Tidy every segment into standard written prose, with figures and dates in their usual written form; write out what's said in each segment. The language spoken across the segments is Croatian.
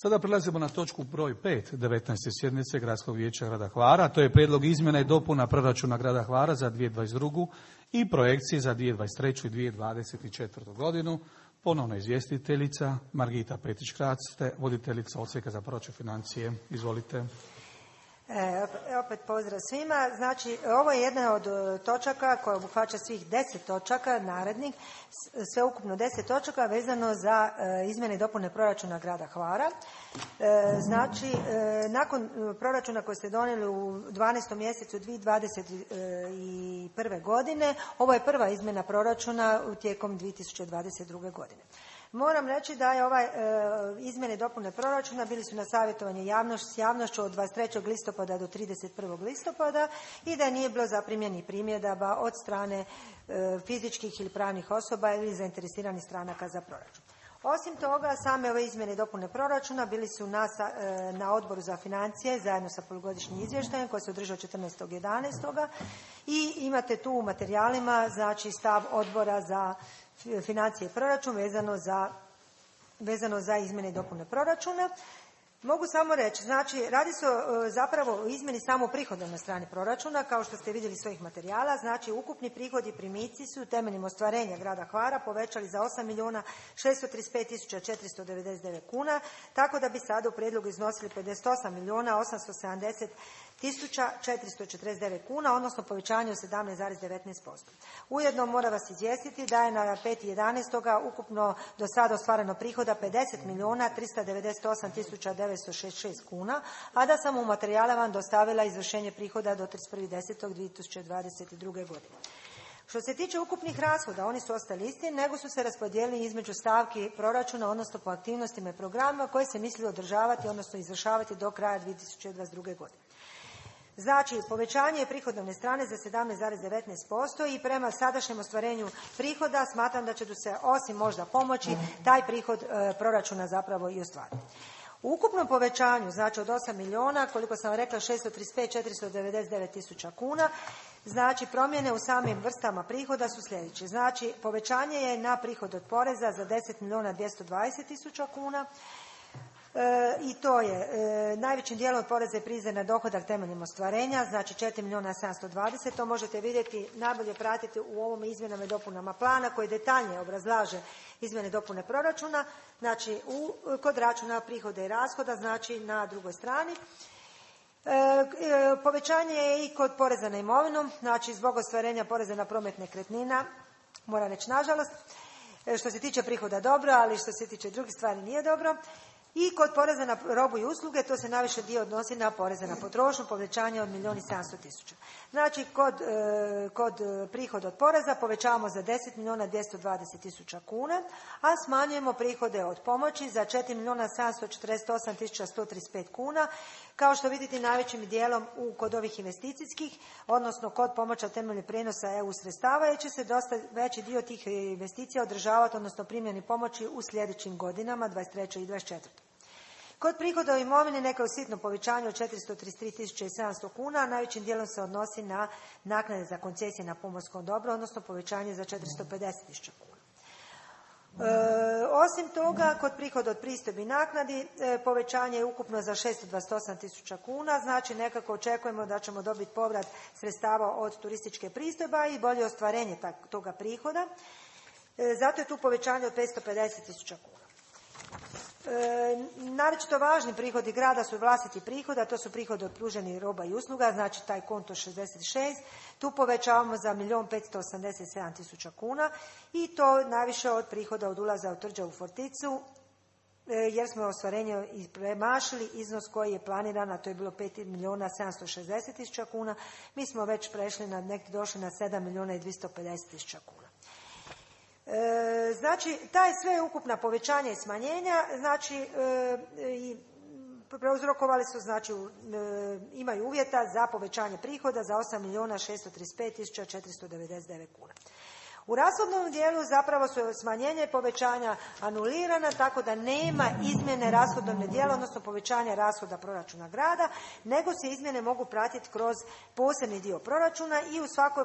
Sada prelazimo na točku broj 5 19. sjednice Gradskog vijeća grada Hvara. To je prijedlog izmjena i dopuna proračuna grada Hvara za 2022. i projekcije za 2023. i 2024. godinu. Ponovno izvjestiteljica Margita Petić-Krac, voditeljica Odsjeka za proračun financije. Izvolite. Opet pozdrav svima. Znači, ovo je jedna od točaka koja obuhvaća svih 10 točaka narednih, sveukupno 10 točaka vezano za izmjene i dopune proračuna grada Hvara. Znači, nakon proračuna koji ste donijeli u 12. mjesecu 2021. godine, ovo je prva izmjena proračuna tijekom 2022. godine. Moram reći da je ovaj izmjene i dopune proračuna bili su na savjetovanju s javnošću od 23. listopada do 31. listopada i da nije bilo zaprimljenih primjedaba od strane fizičkih ili pravnih osoba ili zainteresiranih stranaka za proračun. Osim toga, same ove izmjene i dopune proračuna bili su na Odboru za financije zajedno sa polugodišnjim izvještajem koji se održao 14.11. i imate tu u materijalima znači stav Odbora za financije i proračun vezano za izmjene i dopune proračuna. Mogu samo reći, znači radi se zapravo o izmjeni samo prihodovne strane proračuna, kao što ste vidjeli iz svojih materijala. Znači ukupni prihodi i primici su temeljem ostvarenja grada Hvara povećali za 8.635.499 kuna, tako da bi sada u prijedlogu iznosili 58.870.449 kuna, odnosno povećanje od 17,19%. Ujedno mora vas izvijestiti da je na 5.11. ukupno do sada ostvareno prihoda 50.398.966 kuna, a da sam u materijala vam dostavila izvršenje prihoda do 31.10.2022. godine. Što se tiče ukupnih rashoda, oni su ostali isti, nego su se raspodijelili između stavki proračuna, odnosno po aktivnostima i programima koje se misli održavati, odnosno izvršavati do kraja 2022. godine. Znači, povećanje prihodovne strane za 17,19% i prema sadašnjem ostvarenju prihoda smatram da će se, osim možda pomoći, taj prihod proračuna zapravo i ostvariti. U ukupnom povećanju, znači od 8 milijuna, koliko sam rekla, 635.499 tisuća kuna, znači promjene u samim vrstama prihoda su sljedeće. Znači, povećanje je na prihod od poreza za 10.220 tisuća kuna, i to je najvećim dijelom poreza i prireza na dohodak temeljem ostvarenja, znači 4.720.000. To možete vidjeti, najbolje pratiti u ovom izmjenama i dopunama plana koji detaljnije obrazlaže izmjene i dopune proračuna, znači kod računa prihoda i rashoda, znači na drugoj strani. Povećanje je i kod poreza na imovinu, znači zbog ostvarenja poreza na promet nekretnina, moram reći nažalost, što se tiče prihoda dobro, ali što se tiče drugih stvari nije dobro. I kod poreza na robu i usluge, to se najviše dio odnosi na poreze na potrošnju, povećanje od 1.700.000. Znači, kod prihoda od poreza povećavamo za 10.220.000 kuna, a smanjujemo prihode od pomoći za 4.748.135 kuna. Kao što vidite, najvećim dijelom kod ovih investicijskih, odnosno kod pomoća temeljem prijenosa EU sredstava, jer će se dosta veći dio tih investicija održavati, odnosno primjeni pomoći u sljedećim godinama, 23. i 24. Kod prihoda o imovini neka je sitno povećanje od 433.700 kuna, a najvećim dijelom se odnosi na naknade za koncesije na pomorskom dobru, odnosno povećanje za 450.000 kuna. Osim toga, kod prihoda od pristojbi i naknadi povećanje je ukupno za 628.000 kuna, znači nekako očekujemo da ćemo dobiti povrat sredstava od turističke pristojba i bolje ostvarenje toga prihoda. Zato je tu povećanje od 550.000 kuna. Naročito važni prihodi grada su vlastiti prihodi, a to su prihodi od pruženih roba i usluga, znači taj konto 66, tu povećavamo za 1.587.000 kuna i to najviše od prihoda od ulaza u Tvrđavu Forticu, jer smo ostvarenje premašili iznos koji je planiran, a to je bilo 5.760.000 kuna, mi smo već prešli došli na 7.250.000 kuna. Znači, taj sve ukupna povećanja i smanjenja, znači, prouzrokovali su, znači, imaju uvjeta za povećanje prihoda za 8.635.499 kuna. U rashodnom dijelu zapravo su smanjenje i povećanja anulirana, tako da nema izmjene rashodovne dijela, odnosno povećanja rashoda proračuna grada, nego se izmjene mogu pratiti kroz posebni dio proračuna i u svakoj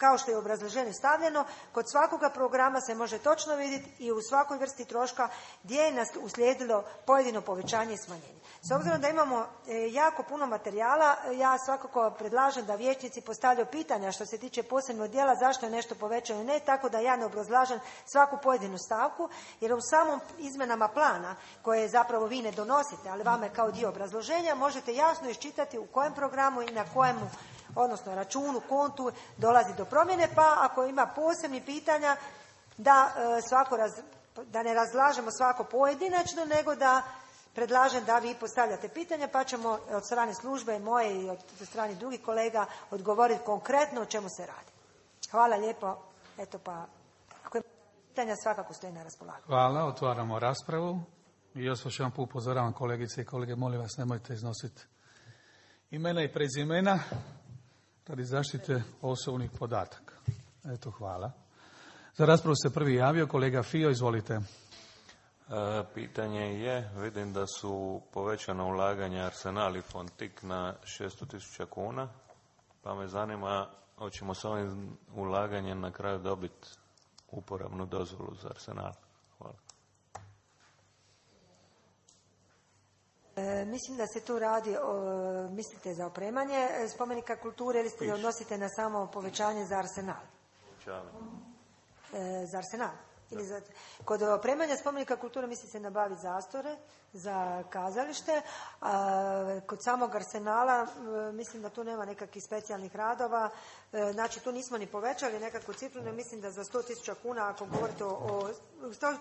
kao što je u obrazloženju stavljeno, kod svakoga programa se može točno vidjeti i u svakoj vrsti troška gdje je nas uslijedilo pojedino povećanje i smanjenje. S obzirom da imamo jako puno materijala, ja svakako predlažem da vijećnici postavljaju pitanja što se tiče posebnog dijela zašto je nešto povećano, ne tako da ja ne obrazlažem svaku pojedinu stavku, jer u samom izmenama plana koje zapravo vi ne donosite, ali vama je kao dio obrazloženja, možete jasno iščitati u kojem programu i na kojemu, odnosno računu, kontu dolazi do promjene, pa ako ima posebnih pitanja da da ne razlažemo svako pojedinačno, nego da predlažem da vi postavljate pitanja, pa ćemo od strane službe moje i od strane drugih kolega odgovoriti konkretno o čemu se radi. Hvala lijepo. Eto pa, ako ima pitanja, svakako stoji na raspolaganju. Hvala, otvaramo raspravu. I još jedan put upozoravam kolegice i kolege, molim vas nemojte iznositi imena i prezimena radi zaštite osobnih podataka. Eto, hvala. Za raspravu se prvi javio kolega Fio, izvolite. Pitanje je, vidim da su povećana ulaganja Arsenal i Fontik na 600.000 kuna, pa me zanima hoćemo s ovim ulaganjem na kraju dobiti uporabnu dozvolu za Arsenal. Hvala. Mislim da se tu radi, mislite za opremanje spomenika kulture ili se odnosite na samo povećanje za Arsenal? Za Arsenal? Kod opremanja spomenika kulture misli se nabaviti zastore za kazalište, a kod samog Arsenala mislim da tu nema nekakvih specijalnih radova, znači tu nismo ni povećali nekakvu cifru, ne mislim da za 100.000 kuna, ako govorite o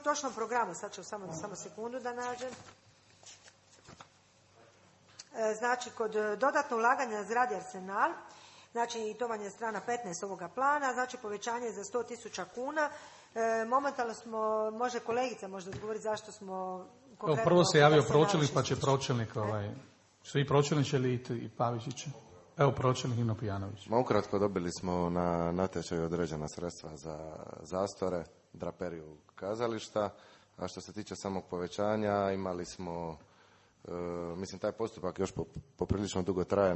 točnom programu, sad ću samo sekundu da nađem. Znači, kod dodatno ulaganja na zgradi Arsenal, znači to vam je strana 15 ovoga plana, znači povećanje za 100.000 kuna. Momentalno smo, može kolegica možda odgovoriti zašto smo konkretno... Prvo se javio pročelnik, pa će pročelnik, svi pročelnici ili i Pavičić. Evo pročelnik Nino Pijanović. Ukratko dobili smo na natječaju određena sredstva za zastore, draperiju kazališta, a što se tiče samog povećanja imali smo, mislim taj postupak još poprilično dugo traje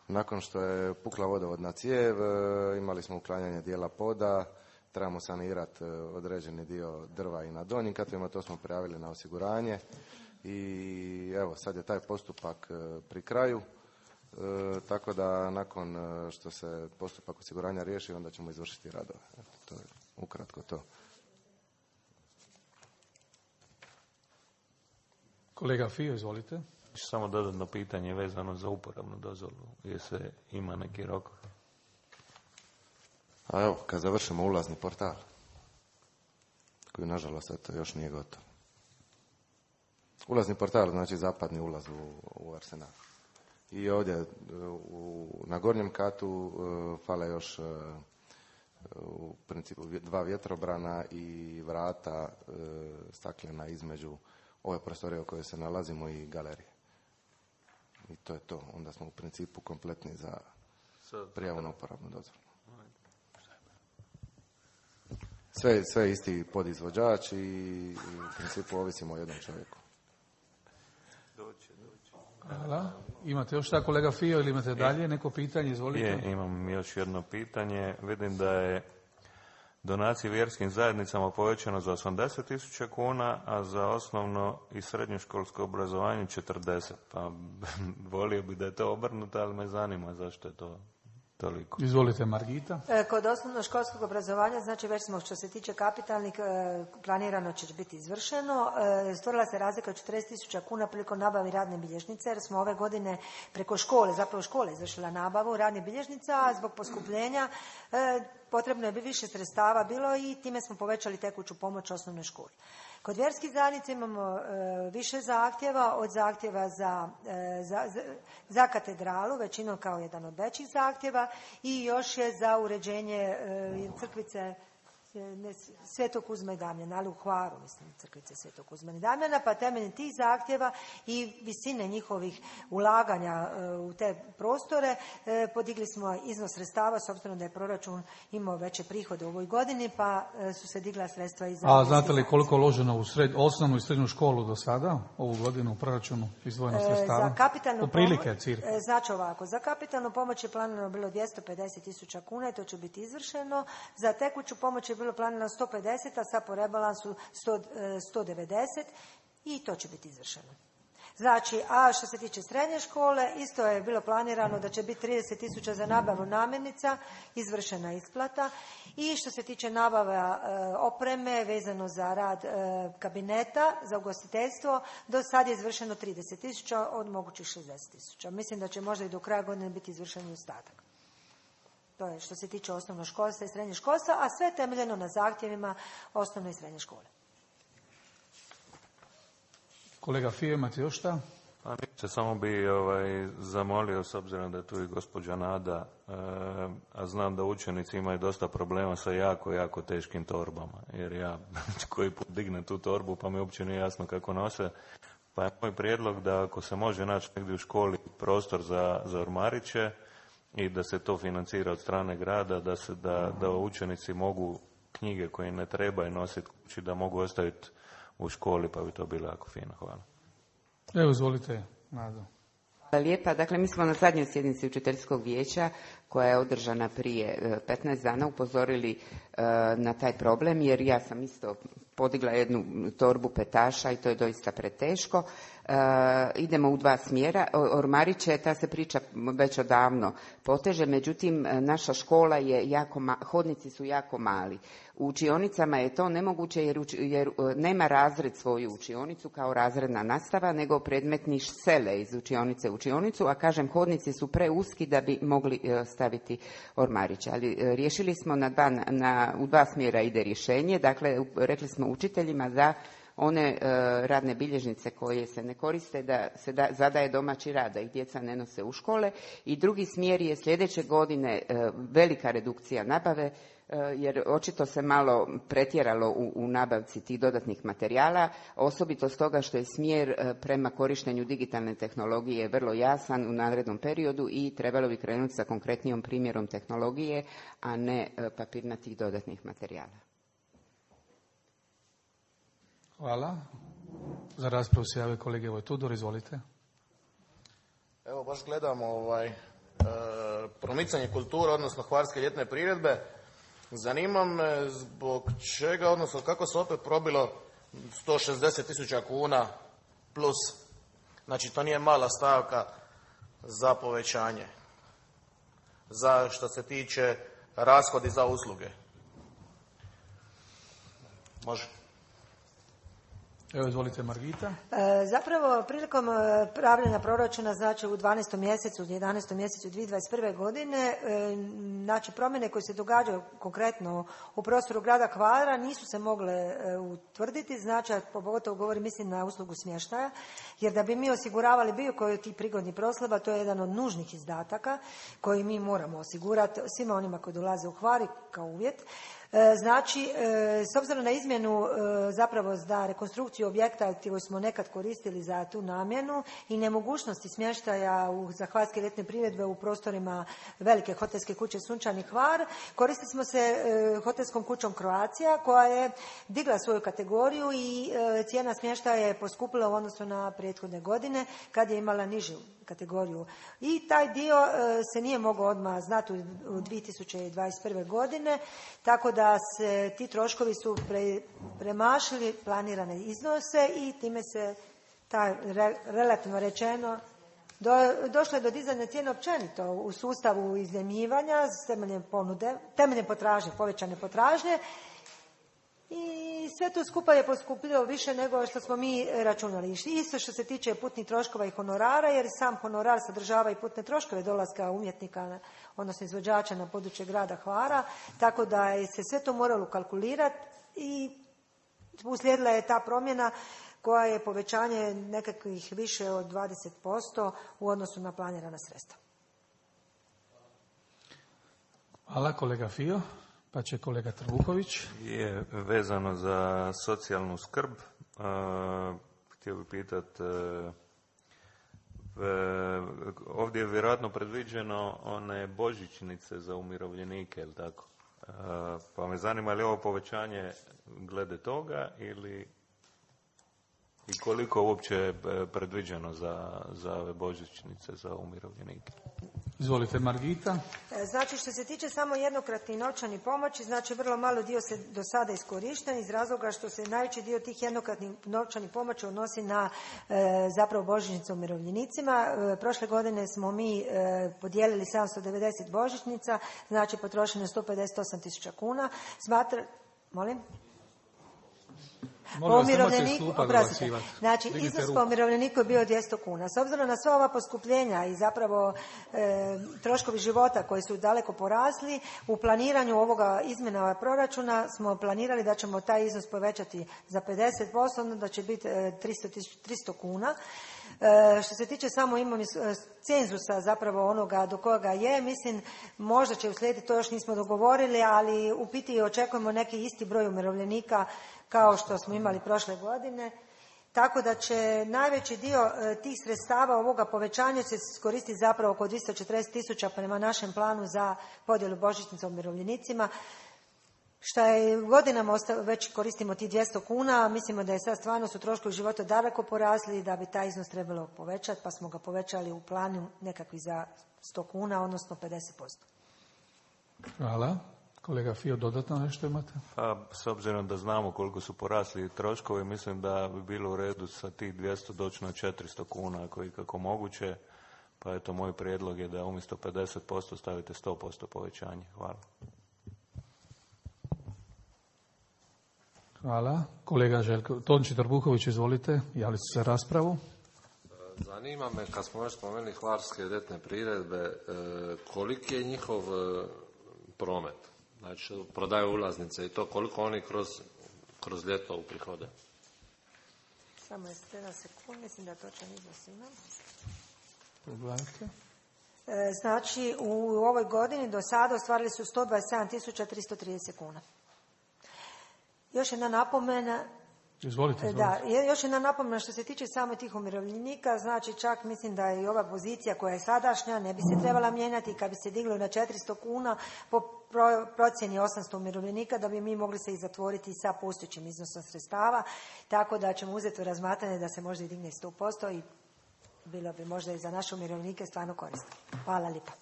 nakon što je pukla vodovodna cijev, imali smo uklanjanje dijela poda, trebamo sanirati određeni dio drva i na donjim katovima, to smo prijavili na osiguranje i evo sad je taj postupak pri kraju, tako da nakon što se postupak osiguranja riješi onda ćemo izvršiti radove. To je ukratko to. Kolega Fio, izvolite. Samo dodatno pitanje vezano za uporabnu dozvolu, jer se ima neki rok. A evo, kad završimo ulazni portal, koji nažalost eto, još nije gotov. Ulazni portal znači zapadni ulaz u Arsenal. I ovdje na gornjem katu fale još u principu 2 vjetrobrana i vrata staklena između ove prostorije u kojoj se nalazimo i galerije. I to je to. Onda smo u principu kompletni za prijavu na uporabnu dozvolu. Sve isti podizvođač i u principu ovisimo o jednom čovjeku. Hvala. Imate još šta kolega Fio ili imate dalje neko pitanje? Izvolite. Imam još jedno pitanje. Vidim da je donacije vjerskim zajednicama povećano za 80.000 kuna, a za osnovno i srednjoškolsko obrazovanje 40. Pa volio bi da je to obrnuto, ali me zanima zašto je to toliko. Izvolite, Margita. Kod osnovnoškolskog obrazovanja, znači već smo što se tiče kapitalnih, planirano će biti izvršeno. Stvorila se razlika od 40.000 kuna prilikom nabavi radne bilježnice, jer smo ove godine preko škole, zapravo škole izvršila nabavu radnih bilježnica, a zbog poskupljenja potrebno je više sredstava bilo i time smo povećali tekuću pomoć osnovnoj školi. Kod vjerskih zajednica imamo više zahtjeva, od zahtjeva za katedralu, većinom kao jedan od većih zahtjeva, i još je za uređenje crkvice Svetog Kuzma i Damjana, ali u Hvaru, mislim, crkvice Svetog Kuzma i Damjana, pa temeljem tih zahtjeva i visine njihovih ulaganja u te prostore podigli smo iznos sredstava, s obzirom da je proračun imao veće prihode u ovoj godini, pa su se digla sredstva i za... A znate li koliko je uloženo u osnovnu i srednju školu do sada, ovu godinu u proračunu izdvojeno sredstava? Za kapitalnu Uprilike, cirka. Znači ovako, za kapitalnu pomoć je planirano bilo 250.000 kuna i to će biti izvršeno. Za tekuću pomoć je bilo planirano 150, a sad po rebalansu 190 i to će biti izvršeno. Znači, a što se tiče srednje škole, isto je bilo planirano da će biti 30.000 za nabavu namirnica, izvršena isplata. I što se tiče nabava opreme vezano za rad kabineta, za ugostiteljstvo, do sad je izvršeno 30.000 od mogućih 60.000. Mislim da će možda i do kraja godine biti izvršen i ostatak. To je što se tiče osnovnog školstva i srednjeg školstva, a sve temeljeno na zahtjevima osnovne i srednje škole. Kolega Fio, imate još šta? Samo bi zamolio, s obzirom da je tu i gospođa Nada, a znam da učenici imaju dosta problema sa jako teškim torbama, jer ja koji put dignem tu torbu pa mi uopće nije jasno kako nose. Pa je moj prijedlog da ako se može naći negdje u školi prostor za ormariće i da se to financira od strane grada, da učenici mogu knjige koje ne trebaju nositi kući, da mogu ostaviti u školi, pa bi to bilo jako fino. Hvala. Evo, izvolite, Nado. Hvala lijepa. Dakle, mi smo na zadnjoj sjednici učiteljskog vijeća, koja je održana prije 15 dana, upozorili na taj problem, jer ja sam isto podigla jednu torbu petaša i to je doista preteško. Idemo u dva smjera. Ormariće, ta se priča već odavno poteže, međutim naša škola je hodnici su jako mali. U učionicama je to nemoguće jer nema razred svoju učionicu kao razredna nastava, nego predmetni sele iz učionice u učionicu, a kažem hodnici su preuski da bi mogli staviti ormariće. Ali riješili smo u dva smjera ide rješenje, dakle rekli smo učiteljima da one radne bilježnice koje se ne koriste, da se zadaje domaći rad, da ih djeca ne nose u škole. I drugi smjer je sljedeće godine velika redukcija nabave, jer očito se malo pretjeralo u nabavci tih dodatnih materijala, osobito stoga što je smjer prema korištenju digitalne tehnologije vrlo jasan u narednom periodu i trebalo bi krenuti sa konkretnijom primjerom tehnologije, a ne papirnatih dodatnih materijala. Hvala. Za raspravu se jave kolege Tudor, izvolite. Evo, baš gledamo promicanje kulture, odnosno hvarske ljetne priredbe. Zanima me zbog čega, odnosno kako se opet probilo 160.000 kuna plus. Znači, to nije mala stavka za povećanje. Za što se tiče rashodi za usluge. Može. Evo, izvolite, Margita. Zapravo, prilikom pravljenja proračuna, znači u 12. mjesecu, 11. mjesecu 2021. godine, znači promjene koje se događaju konkretno u prostoru grada Hvara nisu se mogle utvrditi, znači, pogotovo govorim, mislim na uslugu smještaja, jer da bi mi osiguravali bilo koji od tih prigodnih proslava, to je jedan od nužnih izdataka koji mi moramo osigurati svima onima koji dolaze u Hvar kao uvjet. Znači, s obzirom na izmjenu zapravo za rekonstrukciju objekta koji smo nekad koristili za tu namjenu i nemogućnosti smještaja za hvarske ljetne priredbe u prostorima velike hotelske kuće Sunčani Hvar, koristili smo se hotelskom kućom Croatia koja je digla svoju kategoriju i cijena smještaja je poskupila u odnosu na prethodne godine kad je imala nižu kategoriju. I taj dio se nije mogao odmah znati u 2021. godine, tako da se ti troškovi su premašili planirane iznose i time se relativno rečeno došlo je do dizanja cijene općenito u sustavu iznajmljivanja temeljem potražnje, povećane potražnje. I sve to skupa je poskupilo više nego što smo mi računali. Isto što se tiče putnih troškova i honorara, jer sam honorar sadržava i putne troškove dolaska umjetnika, odnosno izvođača na područje grada Hvara, tako da je se sve to moralo kalkulirati i uslijedila je ta promjena koja je povećanje nekakvih više od 20% u odnosu na planirana sredstva. Hvala, kolega Fio. Pa će kolega Trbuhović. Je vezano za socijalnu skrb. Htio bih pitati, ovdje je vjerojatno predviđeno one božićnice za umirovljenike, ili tako? Pa me zanima, li ovo povećanje glede toga ili i koliko uopće je predviđeno za ove božićnice za umirovljenike? Izvolite, Margita. Znači, što se tiče samo jednokratnih novčanih pomoći, znači vrlo malo dio se do sada iskorišten iz razloga što se najveći dio tih jednokratnih novčanih pomoći odnosi na zapravo božićnice umirovljenicima. Prošle godine smo mi podijelili 790 božićnica, znači potrošeno je 158.000 kuna. Molim? Po umirovljeniku, znači iznos po umirovljeniku je bio 200 kuna. S obzirom na sva ova poskupljenja i zapravo troškovi života koji su daleko porasli, u planiranju ovoga izmjena proračuna smo planirali da ćemo taj iznos povećati za 50%, da će biti 300 kuna. Što se tiče samo cenzusa zapravo onoga do kojega je, mislim možda će uslijediti, to još nismo dogovorili, ali u biti očekujemo neki isti broj umirovljenika kao što smo imali prošle godine. Tako da će najveći dio tih sredstava ovoga povećanja se koristiti zapravo oko 240.000 prema našem planu za podjelu božićnica umirovljenicima. Šta je godinama već koristimo ti 200 kuna, mislimo da je sad stvarno su troškovi života daleko porasli i da bi taj iznos trebalo povećati, pa smo ga povećali u planu nekakvi za 100 kuna, odnosno 50%. Hvala. Kolega Fio, dodatno nešto imate? Pa, s obzirom da znamo koliko su porasli troškovi, mislim da bi bilo u redu sa tih 200 doći na 400 kuna, ako je kako moguće. Pa eto, moj prijedlog je da umjesto 50% stavite 100% povećanje. Hvala. Hvala. Kolega Željko Tonči Trbuhović, izvolite, javili su se raspravu. Zanima me, kad smo još spomenuli hvarske ljetne priredbe, koliki je njihov promet? Znači, prodaju ulaznice i to, koliko oni kroz ljeto uprihode? Samo je 7 sekund, mislim da točan iznos imam. Pogledajte. Znači, u ovoj godini do sada ostvarili su 127.330 kuna. Još jedna napomena. Izvolite. Da, još jedna napomena što se tiče samo tih umirovljenika, znači čak mislim da i ova pozicija koja je sadašnja ne bi se trebala mijenjati, kad bi se diglo na 400 kuna po procjeni 800 umirovljenika, da bi mi mogli se i zatvoriti sa postojećim iznosom sredstava, tako da ćemo uzeti u razmatranje da se možda i digne 100% i bilo bi možda i za naše umirovljenike stvarno korisno. Hvala lijepa.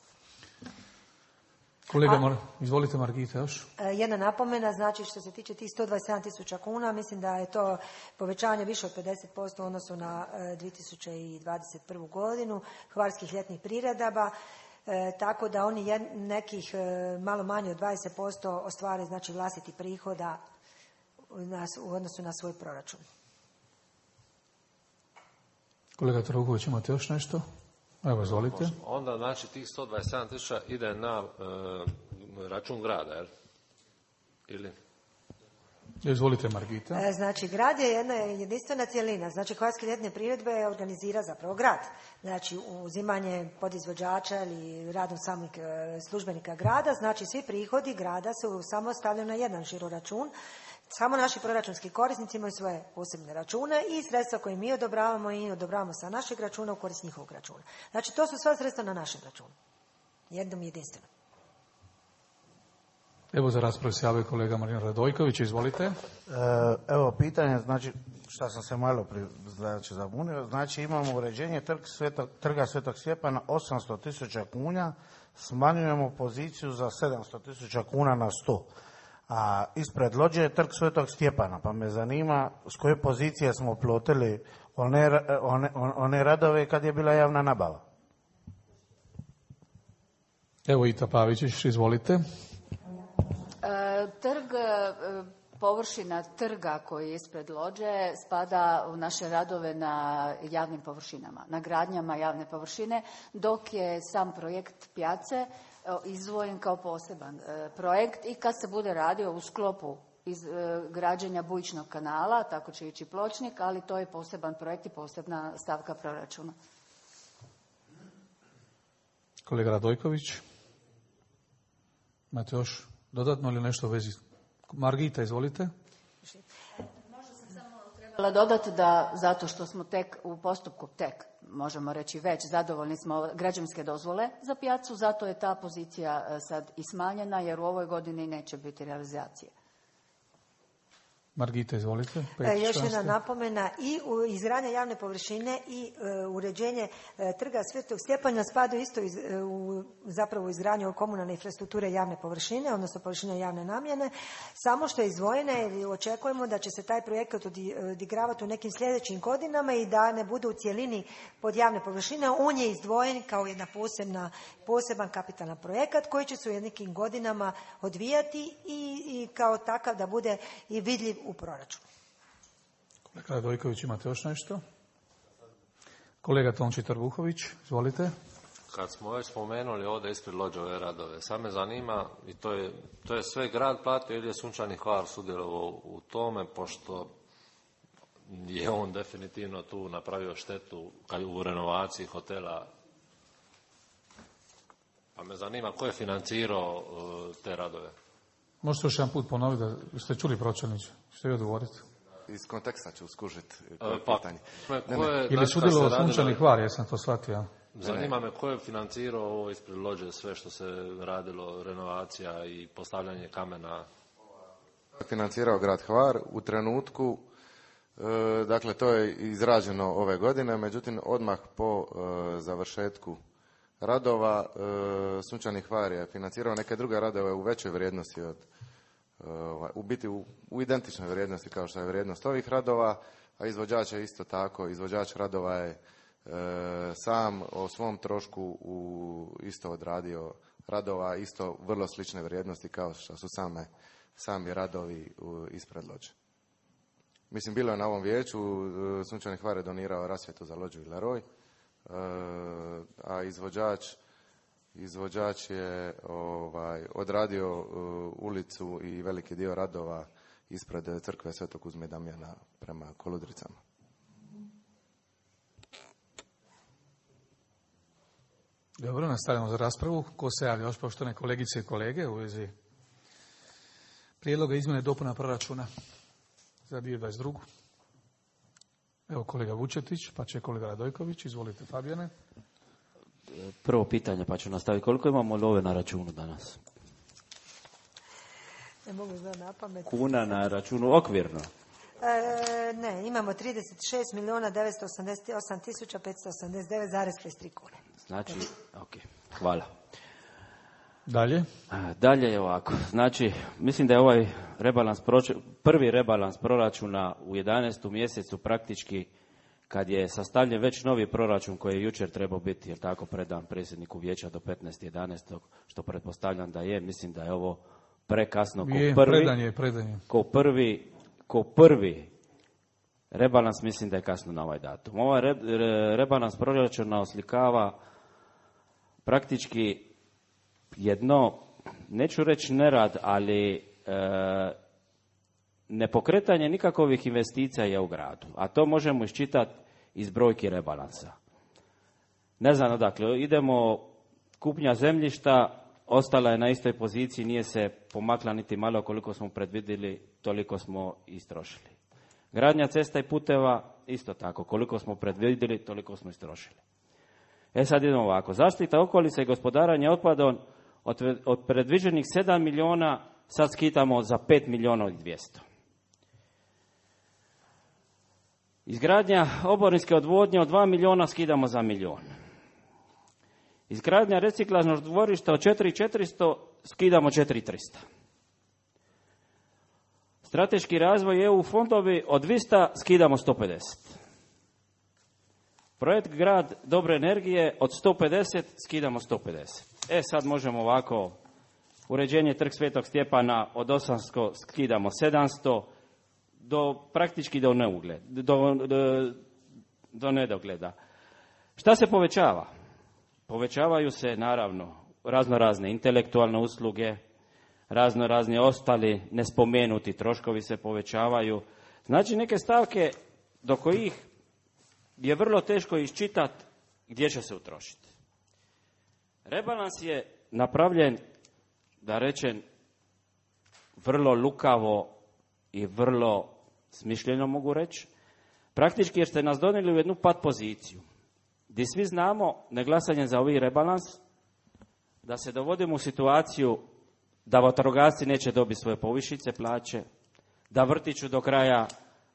Kolega, izvolite Margita još. Jedna napomena, znači što se tiče tih 127.000 kuna, mislim da je to povećanje više od 50% u odnosu na 2021. godinu hvarskih ljetnih priredaba, tako da oni nekih malo manje od 20% ostvare znači vlastiti prihoda u odnosu na svoj proračun. Kolega Trbuhović, imate još nešto? Evo, izvolite. Onda, znači, tih 127.000 ide na račun grada, jel? Ili? Izvolite, Margita. Znači, grad je jedna jedinstvena cjelina. Znači, hvarske ljetne priredbe organizira zapravo grad. Znači, uzimanje podizvođača ili radom samih službenika grada. Znači, svi prihodi grada su samo stavljeni na jedan žiro račun. Samo naši proračunski korisnici imaju svoje posebne račune i sredstva koje mi odobravamo i odobravamo sa našeg računa u korist njihovog računa. Znači, to su sva sredstva na našem računu. Jednom jedinstveno. Evo za raspravu se javio kolega Marin Radojković, izvolite. Evo pitanje, znači što sam se malo zabunio, znači imamo uređenje trga Svetog Stjepana 800.000 kuna, smanjujemo poziciju za 700.000 kuna na 100. A ispred lođe je trg Svetog Stjepana, pa me zanima s koje pozicije smo plotili one radove kad je bila javna nabava. Evo Ita Pavičić, izvolite. Površina trga koji je ispred lođe spada u naše radove na javnim površinama, na gradnjama javne površine, dok je sam projekt Pjace izdvojen kao poseban projekt i kad se bude radio u sklopu građenja bujičnog kanala, tako će ići pločnik, ali to je poseban projekt i posebna stavka proračuna. Kolega Radojković, imate još Dodatno ili nešto u vezi? Margita, izvolite. Trebala dodati da zato što smo tek u postupku, možemo reći već, zadovoljni smo građevinske dozvole za pijacu, zato je ta pozicija sad i smanjena jer u ovoj godini neće biti realizacije. Margita, izvolite. Još jedna napomena, i izgradnja javne površine i uređenje trga Svetog Stjepana spadaju isto zapravo izgradnju komunalne infrastrukture javne površine, odnosno površine javne namjene, samo što je izdvojena jer očekujemo da će se taj projekat odigravati u nekim sljedećim godinama i da ne bude u cjelini pod javne površine. On je izdvojen kao jedna poseban kapitalan projekat koji će se u nekim godinama odvijati i kao takav da bude i vidljiv u proračunu. Kolega Radojković, imate još nešto? Kolega Tonči Trbuhović, izvolite. Kad smo već spomenuli ovdje ispred Lođe ove radove, sad me zanima, i to je sve grad platio ili je Sunčani Hvar sudjelovao u tome, pošto je on definitivno tu napravio štetu u renovaciji hotela. Pa me zanima ko je financirao te radove. Možete još jedan put ponoviti da ste čuli pročelniče? Što je odgovoriti? Iz konteksta ću skužiti pitanje. Ili sudjelovao Sunčani Hvar, jesam to shvatio. Zanima me ko je financirao ovo ispred Lođe, sve što se radilo, renovacija i postavljanje kamena. Financirao grad Hvar u trenutku, dakle to je izrađeno ove godine, međutim odmah po završetku radova Sunčani Hvar je financirao neke druge radove u većoj vrijednosti u biti u identičnoj vrijednosti kao što je vrijednost ovih radova, a izvođač je isto tako, izvođač radova je sam o svom trošku isto odradio radova, isto vrlo slične vrijednosti kao što su sami radovi ispred Lođe. Mislim, bilo je na ovom vijeću, Sunčani Hvar je donirao rasvjetu za Lođu i Laroj, a izvođač je odradio ulicu i veliki dio radova ispred crkve Svetog Kuzme i Damjana prema Koludricama. Dobro, nastavljamo za raspravu. Ko se javlja još, poštovane kolegice i kolege, u vezi prijedloga izmjene i dopuna proračuna za 2022. Evo kolega Vučetić, pa će kolega Radojković. Izvolite, Fabijane. Prvo pitanje, pa ću nastaviti. Koliko imamo love na računu danas? Ne mogu znati na pamet. Kuna na računu okvirno? Ne, imamo 36.988.589,53 kune. Znači, ok, hvala. Dalje? Dalje je ovako. Znači, mislim da je ovaj prvi rebalans proračuna u 11. mjesecu praktički kad je sastavljen već novi proračun koji je jučer trebao biti, jer tako, predan predsjedniku vijeća do 15.11. što pretpostavljam da je, mislim da je ovo prekasno ko prvi rebalans, mislim da je kasno na ovaj datum. Ovaj rebalans proračuna oslikava praktički jedno, neću reći nerad, ali nepokretanje nikakovih investicija u gradu, a to možemo iščitati iz brojki rebalansa. Ne znam odakle, idemo, kupnja zemljišta ostala je na istoj poziciji, nije se pomakla niti malo, koliko smo predvidjeli, toliko smo istrošili. Gradnja cesta i puteva, isto tako, koliko smo predvidjeli, toliko smo istrošili. Sad idemo ovako, zaštita okolice i gospodarenje otpadom, od predviđenih 7 milijuna, sad skitamo za 5 milijuna i 200. Izgradnja oborinske odvodnje od 2 milijuna skidamo za milijun. Izgradnja reciklažnog dvorišta od 4.400 skidamo 4.300. Strateški razvoj EU fondovi od 200 skidamo 150. Projekt Grad dobre energije od 150 skidamo 150. Sad možemo ovako, uređenje Trg Svetog Stjepana od 800 skidamo 700, praktički do nedogleda. Šta se povećava? Povećavaju se, naravno, raznorazne intelektualne usluge, raznorazni ostali nespomenuti troškovi se povećavaju. Znači neke stavke do kojih je vrlo teško iščitati gdje će se utrošiti. Rebalans je napravljen, da rečem, vrlo lukavo i vrlo smišljeno mogu reći. Praktički jer ste nas donijeli u jednu pat poziciju, gdje svi znamo, neglasanje za ovaj rebalans, da se dovodimo u situaciju da vatrogasci neće dobiti svoje povišice plaće, da vrtiću do kraja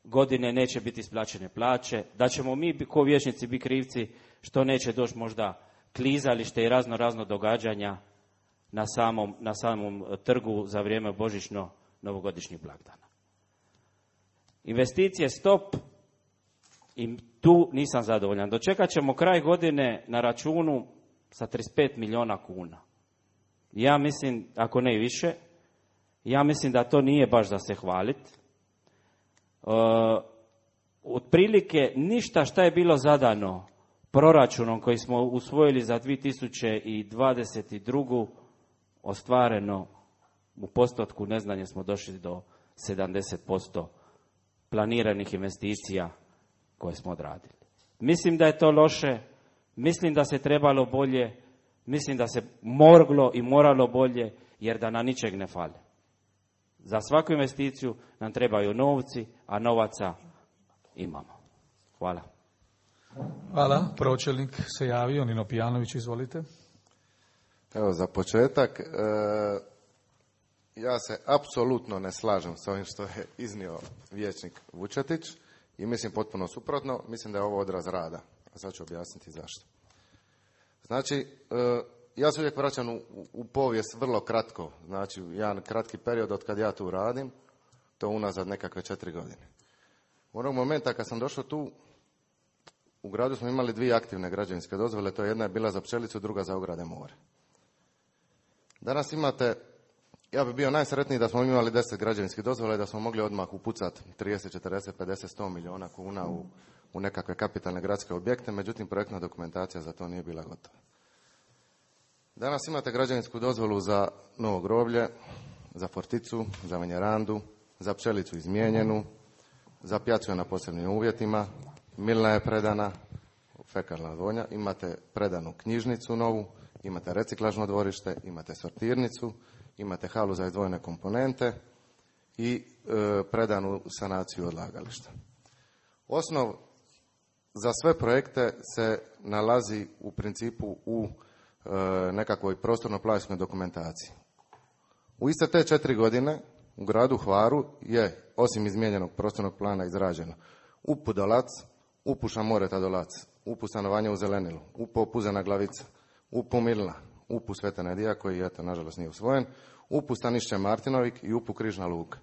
godine neće biti isplaćene plaće, da ćemo mi ko vijećnici biti krivci što neće doći možda klizalište i razno događanja na samom trgu za vrijeme božićno-novogodišnjih blagdana. Investicije stop i tu nisam zadovoljan. Dočekat ćemo kraj godine na računu sa 35 milijuna kuna. Ja mislim, ako ne i više, ja mislim da to nije baš za se hvaliti. Otprilike ništa šta je bilo zadano proračunom koji smo usvojili za 2022. ostvareno u postotku, neznanje smo došli do 70% planiranih investicija koje smo odradili. Mislim da je to loše, mislim da se trebalo bolje, mislim da se moglo i moralo bolje, jer da nam ničeg ne fali. Za svaku investiciju nam trebaju novci, a novaca imamo. Hvala. Hvala. Pročelnik se javio, Nino Pijanović, izvolite. Evo, za početak, ja se apsolutno ne slažem s ovim što je iznio vijećnik Vučetić i mislim potpuno suprotno, mislim da je ovo odraz rada. A sad ću objasniti zašto. Znači, ja se uvijek vraćam u povijest vrlo kratko, znači jedan kratki period od kad ja tu radim, to unazad nekakve 4 godine. U onog momenta kad sam došao tu, u gradu smo imali 2 aktivne građevinske dozvole, to jedna je bila za pčelicu, druga za ograde more. Danas imate, ja bih bio najsretniji da smo imali 10 građevinskih dozvola i da smo mogli odmah upucati 30, 40, 50, 100 milijuna kuna u nekakve kapitalne gradske objekte, međutim projektna dokumentacija za to nije bila gotova. Danas imate građevinsku dozvolu za novo groblje, za forticu, za venjerandu, za pčelicu izmijenjenu, za pjacu na posebnim uvjetima, milna je predana, fekalna odvodnja, imate predanu knjižnicu novu, imate reciklažno dvorište, imate sortirnicu, imate halu za izdvojene komponente i predanu sanaciju odlagališta. Osnov za sve projekte se nalazi u principu u nekakvoj prostorno-planskoj dokumentaciji. U iste te 4 godine u gradu Hvaru je, osim izmijenjenog prostornog plana, izrađeno UP Dolac, UP Šamoreta Dolac, UP stanovanje u Zelenilu, UP Opuzena Glavica, UP Milna, UP Sveta Nedija, koji eto nažalost nije usvojen, UP Stanišće Martinovik i UP Križna Luka.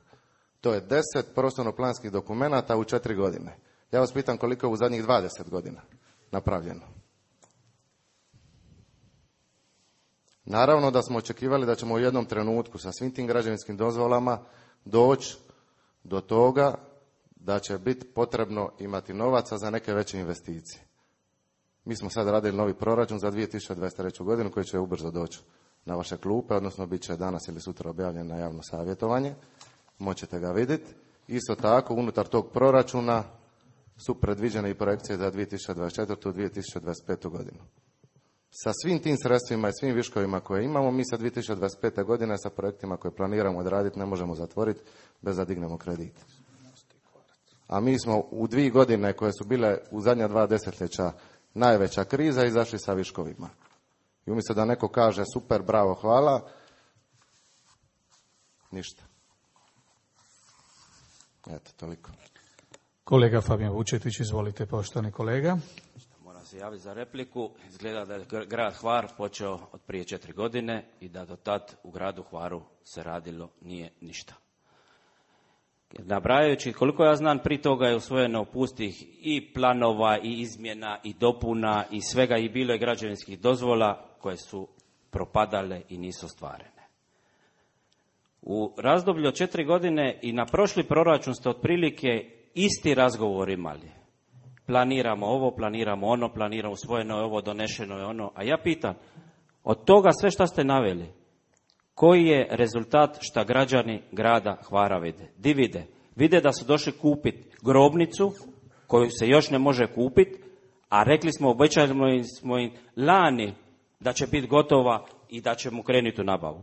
To je 10 prostorno-planskih dokumenata u 4 godine. Ja vas pitam koliko je u zadnjih 20 godina napravljeno. Naravno da smo očekivali da ćemo u jednom trenutku sa svim tim građevinskim dozvolama doći do toga da će biti potrebno imati novaca za neke veće investicije. Mi smo sad radili novi proračun za 2023. godinu koji će ubrzo doći na vaše klupe, odnosno bit će danas ili sutra objavljen na javno savjetovanje. Moćete ga vidjeti. Isto tako, unutar tog proračuna su predviđene i projekcije za 2024. i 2025. godinu. Sa svim tim sredstvima i svim viškovima koje imamo, mi sa 2025. godine sa projektima koje planiramo odraditi ne možemo zatvoriti bez da dignemo kredit. A mi smo u 2 godine koje su bile u zadnja 2 desetljeća najveća kriza izašli sa viškovima. I umjesto da neko kaže super, bravo, hvala, ništa. Eto, toliko. Kolega Fabijan Vučetić, izvolite, poštovani kolega. Moram se javiti za repliku. Izgleda da je grad Hvar počeo od prije 4 godine i da do tad u gradu Hvaru se radilo nije ništa. Nabrajajući, koliko ja znam, prije toga je usvojeno pustih i planova i izmjena i dopuna i svega, i bilo je građevinskih dozvola koje su propadale i nisu ostvarene. U razdoblju od 4 godine i na prošli proračun ste otprilike isti razgovor imali. Planiramo ovo, planiramo ono, planiramo, usvojeno je ovo, donešeno je ono. A ja pitam, od toga sve što ste naveli, koji je rezultat šta građani grada Hvara vide? Di vide? Vide da su došli kupiti grobnicu koju se još ne može kupiti, a rekli smo, obećali smo im lani da će biti gotova i da ćemo krenuti u nabavu.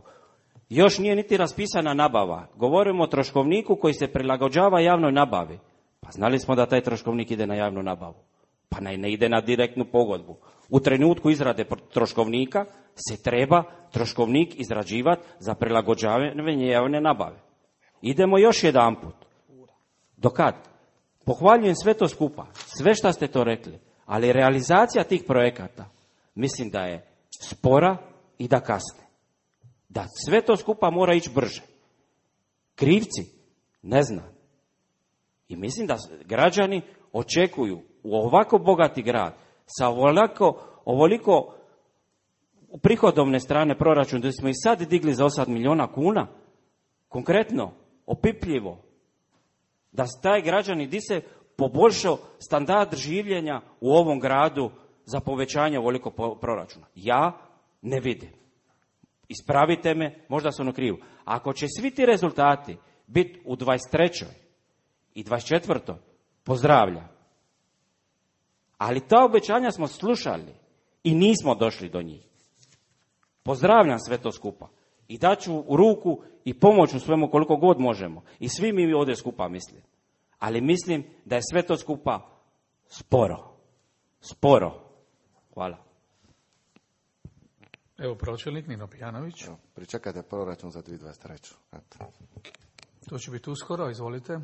Još nije niti raspisana nabava. Govorimo o troškovniku koji se prilagođava javnoj nabavi. Pa znali smo da taj troškovnik ide na javnu nabavu. Pa ne ide na direktnu pogodbu. U trenutku izrade troškovnika se treba troškovnik izrađivati za prilagođavanje javne nabave. Idemo još jedanput. Do kad? Pohvaljujem sve to skupa, sve što ste to rekli, ali realizacija tih projekata mislim da je spora i da kasne. Da sve to skupa mora ići brže. Krivci? Ne znam. I mislim da građani očekuju u ovako bogati grad, sa ovoliko prihodovne strane proračuna, da smo i sad digli za 8 milijuna kuna, konkretno, opipljivo, da taj građani di se poboljšao standard življenja u ovom gradu za povećanje ovoliko proračuna. Ja ne vidim. Ispravite me, možda sam u krivu. Ako će svi ti rezultati biti u 23. i 24. pozdravljam. Ali ta obećanja smo slušali i nismo došli do njih. Pozdravljam sve to skupa. I daću u ruku i pomoć u svemu koliko god možemo. I svi mi ovdje skupa mislim. Ali mislim da je sve to skupa sporo. Sporo. Hvala. Evo pročelnik Nino Pijanović. Pričekajte proračun za 2023. Eto. To će biti uskoro, izvolite.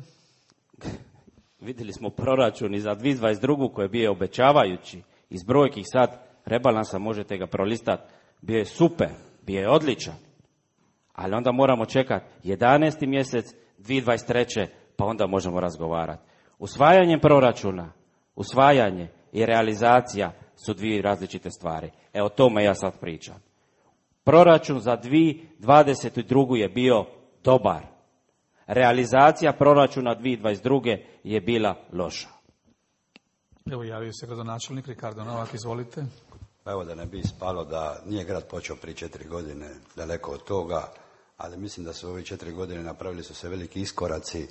Vidjeli smo proračun i za 2022. koji je bio obećavajući. Iz brojki sad rebalansa možete ga prolistati. Bio je super, bio je odličan. Ali onda moramo čekati 11. mjesec 2023. pa onda možemo razgovarati. Usvajanjem proračuna, usvajanje i realizacija su dvije različite stvari. O tome ja sad pričam. Proračun za 2022. je bio dobar. Realizacija proračuna 2022. je bila loša. Evo javio se gradonačelnik Ricardo Novak, izvolite. Pa evo da ne bi ispalo da nije grad počeo prije 4 godine, daleko od toga, ali mislim da su ove 4 godine napravili su se veliki iskoraci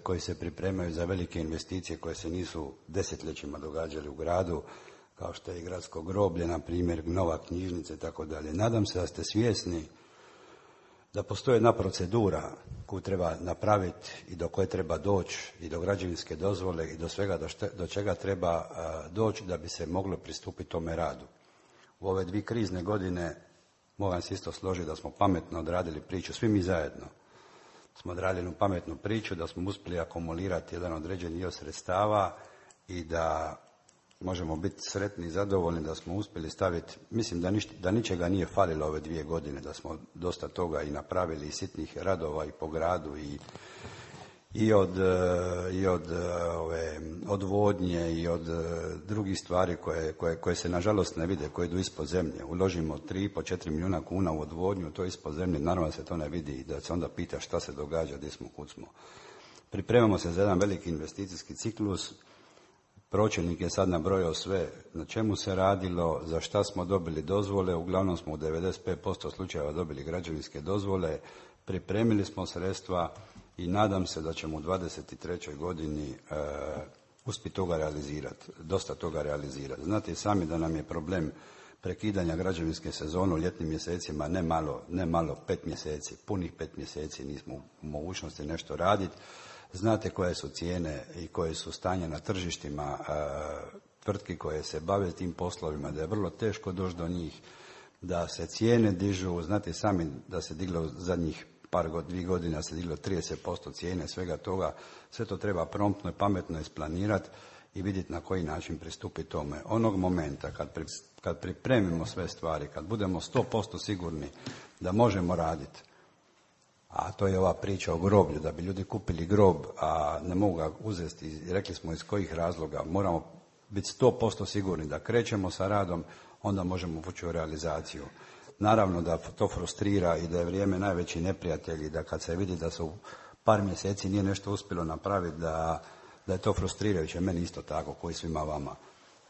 koji se pripremaju za velike investicije koje se nisu desetljećima događali u gradu, kao što je i gradsko groblje, na primjer, nova knjižnica i tako dalje. Nadam se da ste svjesni da postoji jedna procedura koju treba napraviti i do koje treba doći i do građevinske dozvole i do svega do čega treba doći da bi se moglo pristupiti tome radu. U ove 2 krizne godine moram se isto složiti da smo pametno odradili priču, svi mi zajedno smo odradili jednu pametnu priču, da smo uspjeli akumulirati jedan određeni dio sredstava i da možemo biti sretni i zadovoljni da smo uspjeli staviti, mislim da ničega nije falilo ove 2 godine, da smo dosta toga i napravili i sitnih radova i po gradu i od odvodnje i od drugih stvari koje se nažalost ne vide, koje idu ispod zemlje. Uložimo 3,5-4 milijuna kuna u odvodnju, to je ispod zemlje, naravno se to ne vidi i da se onda pita šta se događa, gdje smo, kud smo. Pripremamo se za jedan veliki investicijski ciklus. Pročelnik je sad nabrojao sve na čemu se radilo, za šta smo dobili dozvole, uglavnom smo u 95% slučajeva dobili građevinske dozvole, pripremili smo sredstva i nadam se da ćemo u 23. godini uspjeti toga realizirati, dosta toga realizirati. Znate i sami da nam je problem prekidanja građevinske sezone u ljetnim mjesecima, ne malo 5 mjeseci, punih 5 mjeseci nismo u mogućnosti nešto raditi. Znate koje su cijene i koje su stanje na tržištima tvrtki koje se bave tim poslovima, da je vrlo teško doći do njih, da se cijene dižu. Znate sami da se diglo zadnjih 2 godine, se diglo 30% cijene svega toga. Sve to treba promptno i pametno isplanirati i vidjeti na koji način pristupiti tome. Onog momenta kad pripremimo sve stvari, kad budemo 100% sigurni da možemo raditi, a to je ova priča o groblju, da bi ljudi kupili grob, a ne mogu ga uzeti i rekli smo iz kojih razloga, moramo biti 100% sigurni da krećemo sa radom, onda možemo ući u realizaciju. Naravno da to frustrira i da je vrijeme najveći neprijatelj i da kad se vidi da se u par mjeseci nije nešto uspjelo napraviti, da je to frustrirajuće, meni isto tako, koji svima vama.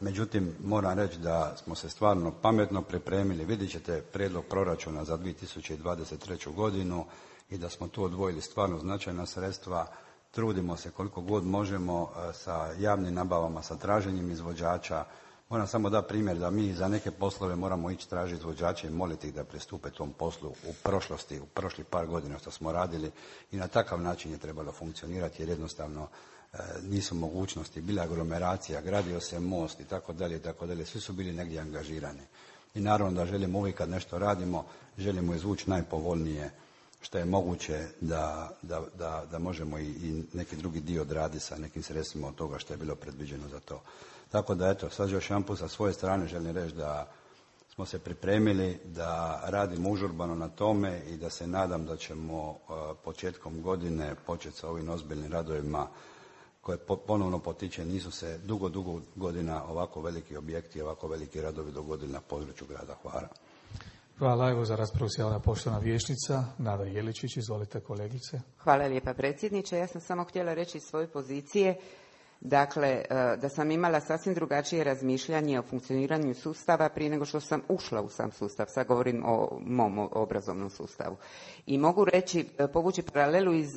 Međutim, moram reći da smo se stvarno pametno pripremili, vidjet ćete prijedlog proračuna za 2023. godinu i da smo tu odvojili stvarno značajna sredstva. Trudimo se koliko god možemo sa javnim nabavama, sa traženjem izvođača. Moram samo dati primjer da mi za neke poslove moramo ići tražiti izvođače i moliti ih da pristupe tom poslu u prošlosti, u prošlih par godina što smo radili i na takav način je trebalo funkcionirati jer jednostavno nisu mogućnosti, bila aglomeracija, gradio se most i tako dalje, svi su bili negdje angažirani. I naravno da želimo uvijek kad nešto radimo, želimo izvući najpovoljnije što je moguće da možemo i neki drugi dio odraditi sa nekim sredstvima od toga što je bilo predviđeno za to. Tako da eto, sad još jedan put sa svoje strane želim reći da smo se pripremili, da radimo užurbano na tome i da se nadam da ćemo početkom godine početi sa ovim ozbiljnim radovima koje ponovno potiče, nisu se dugo godina ovako veliki objekti, ovako veliki radovi dogodili na području grada Hvara. Hvala. Evo za raspravu se javila poštovana vijećnica Nada Jeličić. Izvolite kolegice. Hvala lijepa predsjedniče. Ja sam samo htjela reći iz svoje pozicije, dakle, da sam imala sasvim drugačije razmišljanje o funkcioniranju sustava prije nego što sam ušla u sam sustav. Sad govorim o mom obrazovnom sustavu. I mogu reći, povući paralelu iz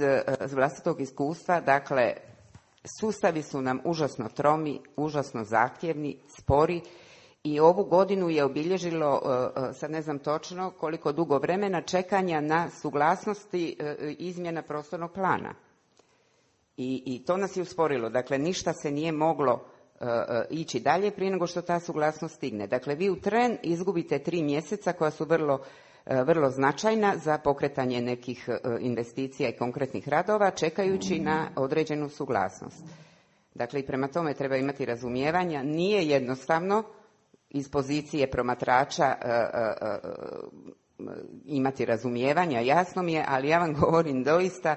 vlastitog iskustva, dakle, sustavi su nam užasno tromi, užasno zahtjevni, spori i ovu godinu je obilježilo, sad ne znam točno koliko dugo vremena, čekanja na suglasnosti izmjena prostornog plana. I to nas je usporilo. Dakle, ništa se nije moglo ići dalje prije nego što ta suglasnost stigne. Dakle, vi u tren izgubite 3 mjeseca koja su vrlo značajna za pokretanje nekih investicija i konkretnih radova, čekajući na određenu suglasnost. Dakle, i prema tome treba imati razumijevanja. Nije jednostavno iz pozicije promatrača imati razumijevanja, jasno mi je, ali ja vam govorim doista,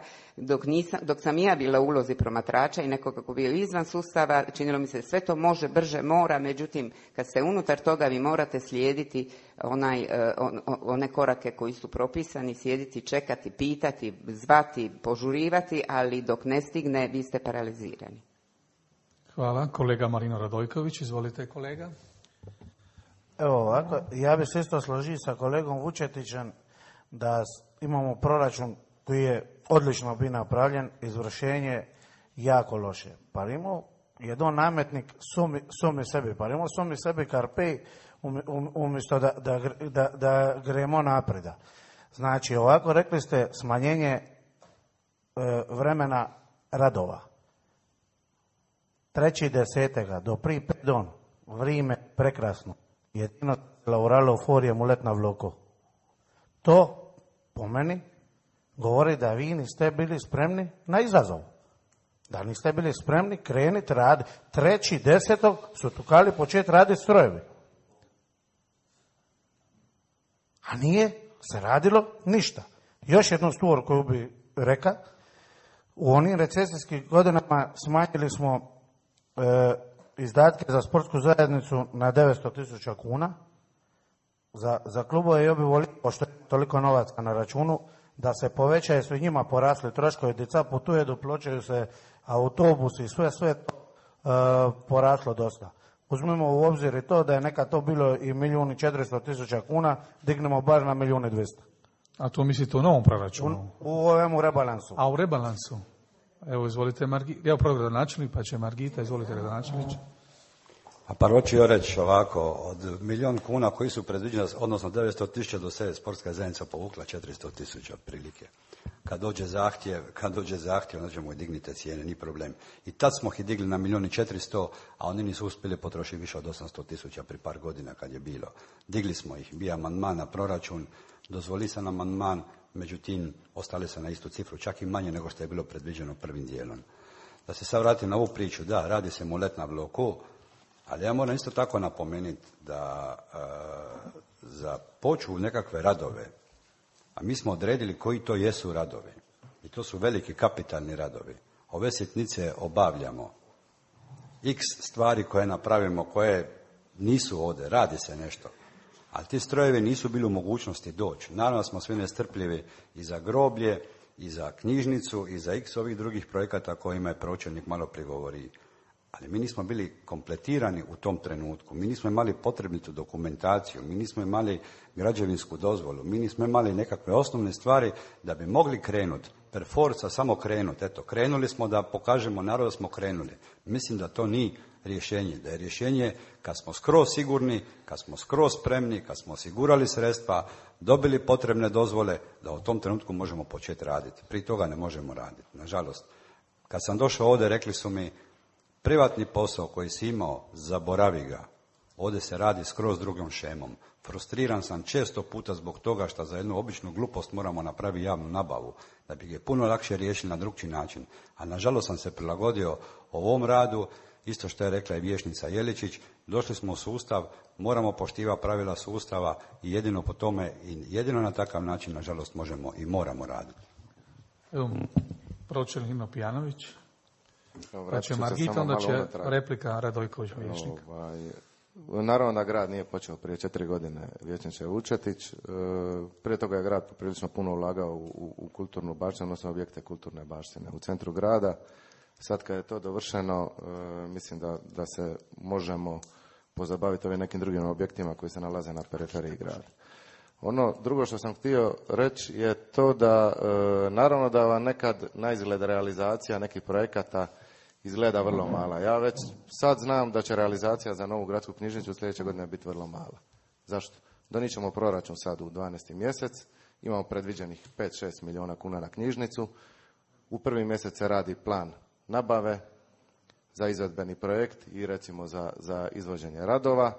dok sam ja bila u ulozi promatrača i nekoga kako bio izvan sustava, činilo mi se sve to može, brže, mora, međutim, kad ste unutar toga vi morate slijediti one korake koji su propisani, sjediti, čekati, pitati, zvati, požurivati, ali dok ne stigne, vi ste paralizirani. Hvala. Kolega Marino Radojković, izvolite kolega. Evo ovako, ja bih se isto složio sa kolegom Vučetićem da imamo proračun koji je odlično bi napravljen, izvršenje jako loše. Pa imamo jedan nametnik sumi sebi, pa imamo sumi sebi karpej umjesto da gremo napreda. Znači ovako rekli ste smanjenje vremena radova. 3.10. do prije 5 don, vrijeme prekrasno. Jedino lavoralo forije mu let na vloko. To, po meni, govori da vi niste bili spremni na izazov. Da niste bili spremni kreniti raditi. 3.10. su tukali početi raditi strojevi. A nije se radilo ništa. Još jednu stvar koju bi rekao, u onim recesijskim godinama smanjili smo izdatke za sportsku zajednicu na 900.000 kuna. Za klubove ja bi volio, pošto je toliko novaca na računu, da se povećaju, su njima porasli troškovi, djeca putuje, doplaćaju se autobusi i sve poraslo dosta. Uzmimo u obzir i to da je nekad to bilo i 1.400.000 kuna, dignemo bar na 1.200.000. A to mislite u novom proračunu? U ovemu rebalansu. A u rebalansu? Evo, izvolite, evo prvo gradonačelnik, pa će Margita, izvolite gradonačelnić. A prvo ću joj reći ovako, od 1.000.000 kuna koji su predviđeni, odnosno 900.000 do sada sportska zajednica povukla 400.000 otprilike. Kad dođe zahtjev, onda ćemo i dignite cijene, ni problem. I tad smo ih digli na 1.400.000, a oni nisu uspjeli potrošiti više od 800.000 pri par godina kad je bilo. Digli smo ih, bio amandman na proračun, dozvoli se nam amandman, međutim, ostali se na istu cifru, čak i manje nego što je bilo predviđeno prvim dijelom. Da se sad vratim na ovu priču, da, radi se mulet na bloku, ali ja moram isto tako napomenuti da za poču nekakve radove, a mi smo odredili koji to jesu radovi, i to su veliki kapitalni radovi. Ove sitnice obavljamo. X stvari koje napravimo, koje nisu ovdje, radi se nešto. Ali ti strojevi nisu bili u mogućnosti doći. Naravno smo svi nestrpljivi i za groblje, i za knjižnicu, i za x ovih drugih projekata kojima je pročelnik malo prigovori. Ali mi nismo bili kompletirani u tom trenutku. Mi nismo imali potrebnitu dokumentaciju, mi nismo imali građevinsku dozvolu, mi nismo imali nekakve osnovne stvari da bi mogli krenuti. Per forza samo krenuti. Eto, krenuli smo da pokažemo narodu da smo krenuli. Mislim da to nije rješenje. Da je rješenje kad smo skroz sigurni, kad smo skroz spremni, kad smo osigurali sredstva, dobili potrebne dozvole, da u tom trenutku možemo početi raditi. Prije toga ne možemo raditi, nažalost. Kad sam došao ovdje, rekli su mi, privatni posao koji si imao, zaboravi ga. Ovdje se radi skroz drugom šemom. Frustriran sam često puta zbog toga što za jednu običnu glupost moramo napraviti javnu nabavu, da bi ga puno lakše riješili na drugčiji način. A nažalost sam se prilagodio ovom radu, isto što je rekla i vijećnica Jeličić, došli smo u sustav, moramo poštivati pravila sustava i jedino po tome i jedino na takav način, nažalost, možemo i moramo raditi. Evo, pročelnik Nino Pijanović. Pa će Margita, onda će replika Radojković vijećnika. Naravno da grad nije počeo prije 4 godine, vijećniče Vučetić. Prije toga je grad poprilično puno ulagao u kulturnu baštinu, odnosno objekte kulturne baštine u centru grada. Sad kad je to dovršeno, mislim da se možemo pozabaviti ovim nekim drugim objektima koji se nalaze na periferiji grada. Ono drugo što sam htio reći je to da naravno da vam nekad na izgled realizacija nekih projekata izgleda vrlo mala. Ja već sad znam da će realizacija za novu gradsku knjižnicu sljedeće godine biti vrlo mala. Zašto? Donijet ćemo proračun sad u 12. mjesec, imamo predviđenih 5-6 milijuna kuna na knjižnicu. U prvi mjesec se radi plan nabave za izvedbeni projekt i recimo za izvođenje radova.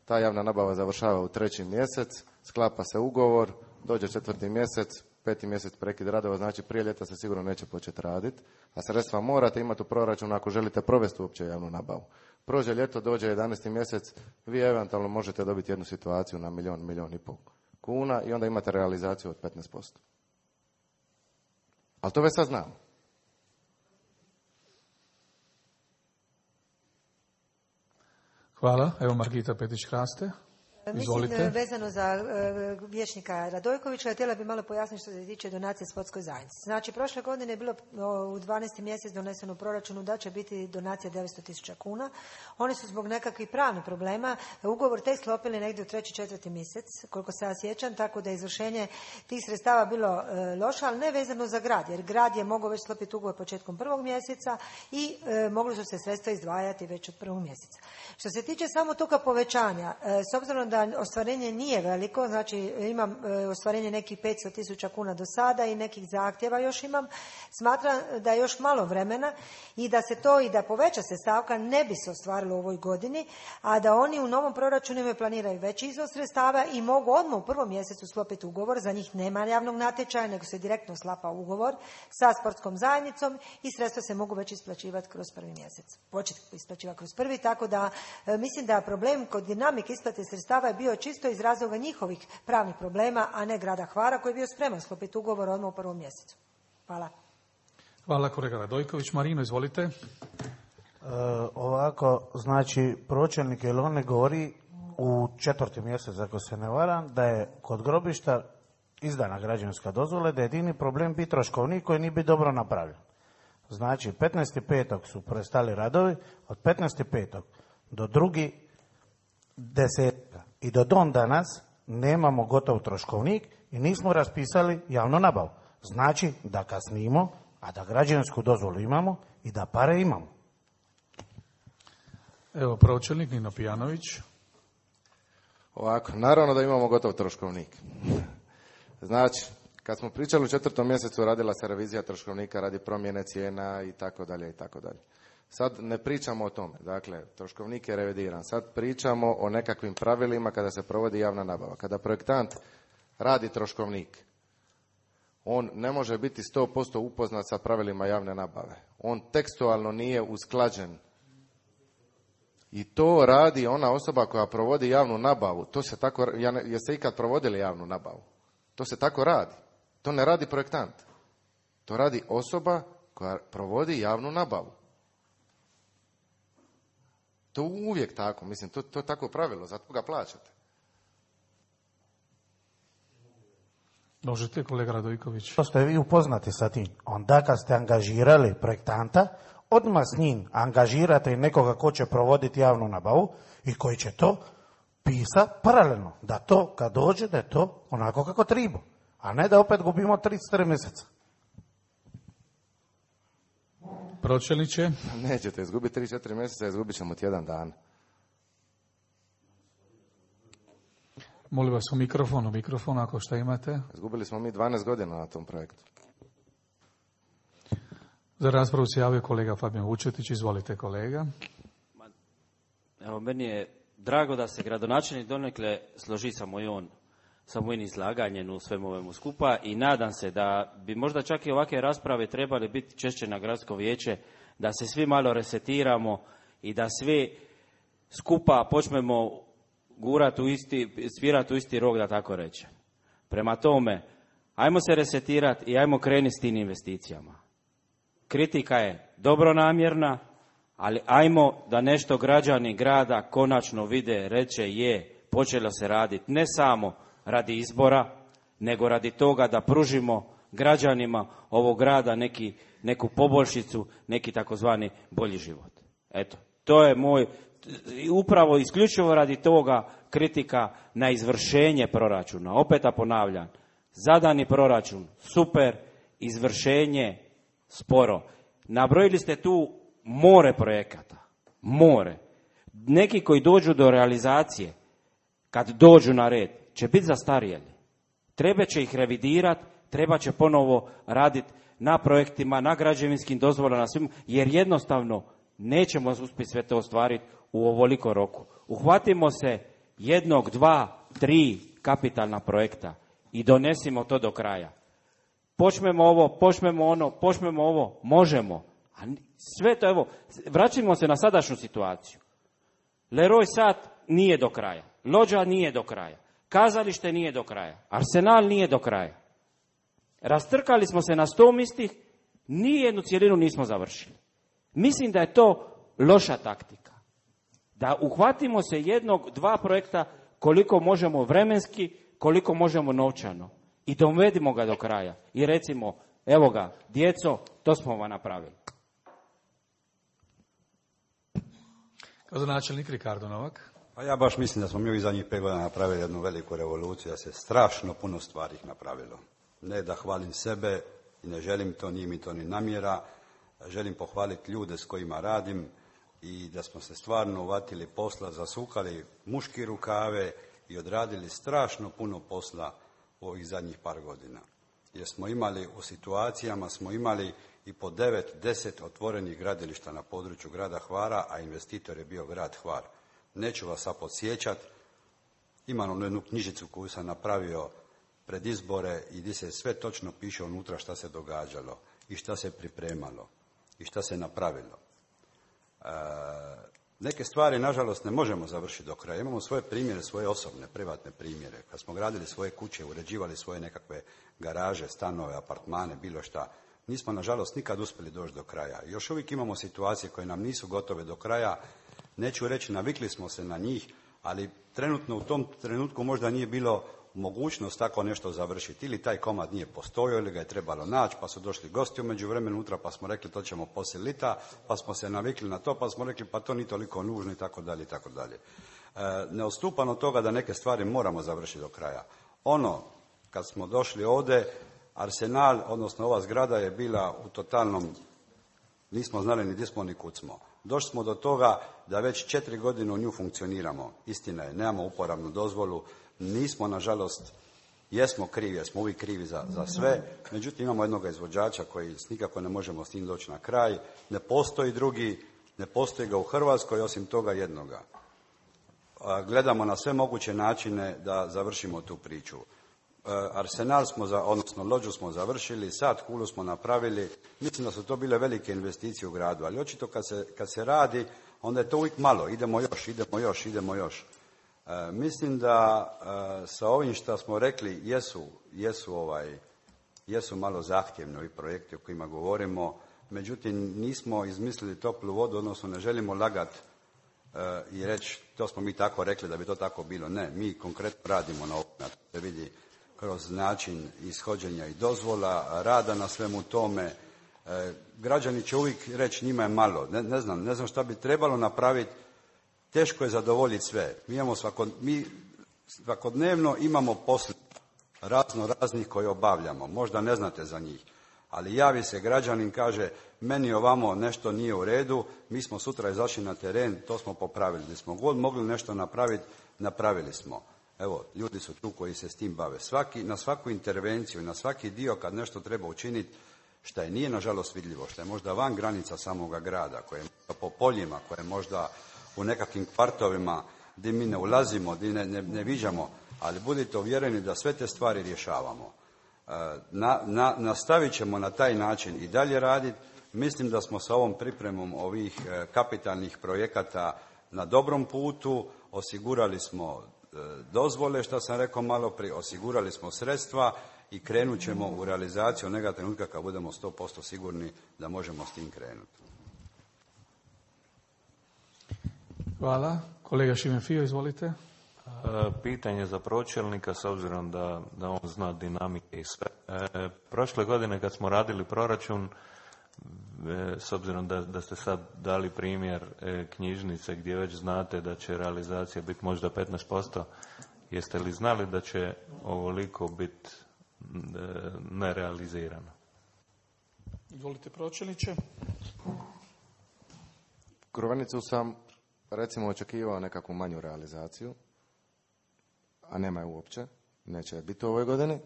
Ta javna nabava završava u 3. mjesec, sklapa se ugovor, dođe 4. mjesec, 5. mjesec prekid radova, znači prije ljeta se sigurno neće početi raditi, a sredstva morate imati u proračunu ako želite provesti uopće javnu nabavu. Prođe ljeto, dođe 11. mjesec, vi eventualno možete dobiti jednu situaciju na milijun i pol kuna i onda imate realizaciju od 15%. Ali to već sad znamo. Hvala. Evo Margita Petić-Hraste. Izvolite. Mislim, vezano za vijećnika Radojkovića, htjela bi malo pojasniti što se tiče donacije sportskoj zajednici. Znači, prošle godine je bilo u 12. mjesec doneseno u proračunu da će biti donacija 900.000 kuna. Oni su zbog nekakvih pravnih problema ugovor tek sklopili negdje u 3. 4. mjesec, koliko se ja sjećam, tako da je izvršenje tih sredstava bilo loše, ali ne vezano za grad, jer grad je mogao već sklopiti ugovor početkom 1. mjeseca i mogli su se sredstva izdvajati već od 1. mjeseca. Što se tiče samo toga povećanja, s obzirom da ostvarenje nije veliko, znači imam ostvarenje nekih 500.000 kuna do sada i nekih zahtjeva još imam, smatram da je još malo vremena i da se to i da poveća se stavka ne bi se ostvarilo u ovoj godini, a da oni u novom proračunu planiraju veći iznos sredstava i mogu odmah u 1. mjesecu sklopiti ugovor, za njih nema javnog natječaja, nego se direktno sklapa ugovor sa sportskom zajednicom i sredstva se mogu već isplaćivati kroz 1. mjesec. Početi isplaćivati kroz 1. tako da mislim da problem kod dinamike isplate sredstava je bio čisto iz razloga njihovih pravnih problema, a ne grada Hvara koji je bio spreman sklopiti ugovor odmah u 1. mjesecu. Hvala. Hvala kolega Radojković. Marino, izvolite. Ovako, znači, pročelnik Elone govori u 4. mjesec, ako se ne varam, da je kod grobišta izdana građevinska dozvola, da je jedini problem biti troškovnik koji nije bi dobro napravljen. Znači, 15.5. su prestali radovi, od 15.5. do 2.10. i do don danas nemamo gotov troškovnik i nismo raspisali javnu nabavu. Znači da kasnimo, a da građevinsku dozvolu imamo i da pare imamo. Evo pročelnik Nino Pijanović. Ovako, naravno da imamo gotov troškovnik. Znači, kad smo pričali u 4. mjesecu radila se revizija troškovnika radi promjene cijena i tako dalje i tako dalje. Sad ne pričamo o tome, dakle, troškovnik je revidiran. Sad pričamo o nekakvim pravilima kada se provodi javna nabava. Kada projektant radi troškovnik, on ne može biti 100% upoznat sa pravilima javne nabave. On tekstualno nije usklađen. I to radi ona osoba koja provodi javnu nabavu. To se tako, jeste ikad provodili javnu nabavu? To se tako radi. To ne radi projektant. To radi osoba koja provodi javnu nabavu. To uvijek tako, mislim, to je tako pravilo, zato ga plaćate. Možete, kolega Radojković. To ste vi upoznati sa tim. Onda kad ste angažirali projektanta, odmah s njim angažirate nekoga ko će provoditi javnu nabavu i koji će to pisati paralelno. Da to, kad dođe, da je to onako kako treba. A ne da opet gubimo 3-4 mjeseca. pročelniče. Nećete izgubiti 3-4 mjeseca, izgubit ćemo tjedan dan. Molim vas u mikrofon ako šta imate. Izgubili smo mi 12 godina na tom projektu. Za raspravu se javio kolega Fabijan Vučetić. Izvolite kolega. Evo, meni je drago da se gradonačelnik donekle složi sa mojim izlaganjem u svemu ovemu skupa i nadam se da bi možda čak i ovakve rasprave trebali biti češće na gradsko vijeće, da se svi malo resetiramo i da svi skupa počnemo svirati u isti rog, da tako reče. Prema tome, ajmo se resetirati i ajmo krenuti s tim investicijama. Kritika je dobronamjerna, ali ajmo da nešto građani grada konačno vide, reče počelo se raditi ne samo radi izbora, nego radi toga da pružimo građanima ovog grada neku poboljšicu, neki takozvani bolji život. Eto, to je moj, upravo isključivo radi toga kritika na izvršenje proračuna. Opet ponavljam, zadani proračun super, izvršenje sporo. Nabrojili ste tu more projekata, more. Neki koji dođu do realizacije, kad dođu na red, će biti zastarjeli. Treba će ih revidirati, treba će ponovo raditi na projektima, na građevinskim dozvolama, na svim, jer jednostavno nećemo uspjeti sve to ostvariti u ovoliko roku. Uhvatimo se 1, 2, 3 kapitalna projekta i donesimo to do kraja. Počnemo ovo, počnemo ono, počnemo ovo, možemo. A sve to, evo, vraćamo se na sadašnju situaciju. Leroy Sat nije do kraja, Lođa nije do kraja, kazalište nije do kraja, Arsenal nije do kraja. Rastrkali smo se na 100 mistih, nijednu cjelinu nismo završili. Mislim da je to loša taktika. Da uhvatimo se 1, 2 projekta koliko možemo vremenski, koliko možemo novčano i dovedimo ga do kraja. I recimo, evo ga, djeco, to smo vam napravili. Gradonačelnik Ricardo Novak. Pa ja baš mislim da smo mi ovih zadnjih 5 godina napravili jednu veliku revoluciju, da se strašno puno stvari napravilo. Ne da hvalim sebe i ne želim to, nije mi to ni namjera. Želim pohvaliti ljude s kojima radim i da smo se stvarno uvatili posla, zasukali muški rukave i odradili strašno puno posla u ovih zadnjih par godina. Jer smo imali u situacijama, smo imali i po 9, 10 otvorenih gradilišta na području grada Hvara, a investitor je bio grad Hvar. Neću vas sad podsjećati, imam jednu knjižicu koju sam napravio pred izbore i gdje se sve točno piše unutra šta se događalo i šta se pripremalo i šta se napravilo. Neke stvari, nažalost, ne možemo završiti do kraja. Imamo svoje primjere, svoje osobne, privatne primjere. Kad smo gradili svoje kuće, uređivali svoje nekakve garaže, stanove, apartmane, bilo šta, nismo, nažalost, nikad uspjeli doći do kraja. Još uvijek imamo situacije koje nam nisu gotove do kraja. Neću reći, navikli smo se na njih, ali trenutno u tom trenutku možda nije bilo mogućnost tako nešto završiti. Ili taj komad nije postojao, ili ga je trebalo naći, pa su došli gosti u međuvremenu unutra, pa smo rekli to ćemo poslije lita, pa smo se navikli na to, pa smo rekli pa to nije toliko nužno i tako dalje i tako dalje. Ne odstupam od toga da neke stvari moramo završiti do kraja. Kad smo došli ovdje, Arsenal, odnosno ova zgrada je bila u totalnom, nismo znali ni gdje smo ni kud smo. Došli smo do toga da već 4 godine u nju funkcioniramo. Istina je, nemamo uporabnu dozvolu, nismo, nažalost, jesmo krivi, jer smo uvijek krivi za sve, međutim imamo jednog izvođača koji nikako ne možemo s njim doći na kraj, ne postoji drugi, ne postoji ga u Hrvatskoj osim toga jednoga. Gledamo na sve moguće načine da završimo tu priču. Arsenal odnosno Lođu smo završili, Sad Kulu smo napravili, mislim da su to bile velike investicije u gradu, ali očito kad se radi, onda je to uvijek malo, idemo još. Mislim da sa ovim što smo rekli jesu malo zahtjevni ovi projekti o kojima govorimo, međutim nismo izmislili toplu vodu, odnosno ne želimo lagati i reći to smo mi tako rekli da bi to tako bilo. Ne, mi konkretno radimo na ovome, da se vidi kroz način ishođenja i dozvola, rada na svemu tome. Građani će uvijek reći njima je malo, ne znam šta bi trebalo napraviti. Teško je zadovoljiti sve. Mi svakodnevno imamo posla raznih koje obavljamo. Možda ne znate za njih. Ali javi se građanin, kaže, meni ovamo nešto nije u redu, mi smo sutra izašli na teren, to smo popravili. Gdje smo god mogli nešto napraviti, napravili smo. Evo, ljudi su tu koji se s tim bave. Na svaku intervenciju, na svaki dio kad nešto treba učiniti, što je nije nažalost vidljivo, što je možda van granica samoga grada, koje je po poljima, koje je možda u nekakvim kvartovima gdje mi ne ulazimo, gdje ne viđamo, ali budite uvjereni da sve te stvari rješavamo. Nastavit ćemo na taj način i dalje raditi. Mislim da smo sa ovom pripremom ovih kapitalnih projekata na dobrom putu, osigurali smo dozvole, što sam rekao malo prije, osigurali smo sredstva i krenut ćemo u realizaciju onoga trenutka kad budemo 100% sigurni da možemo s tim krenuti. Hvala. Kolega Šimen Fio, izvolite. Pitanje za pročelnika, s obzirom da on zna dinamike i sve. Prošle godine kad smo radili proračun, s obzirom da ste sad dali primjer knjižnice gdje već znate da će realizacija biti možda 15%, jeste li znali da će ovoliko biti nerealizirano? Izvolite, pročelniče. Korovanicu sam, recimo, očekivao nekakvu manju realizaciju, a nema je uopće, neće je biti u ovoj godini.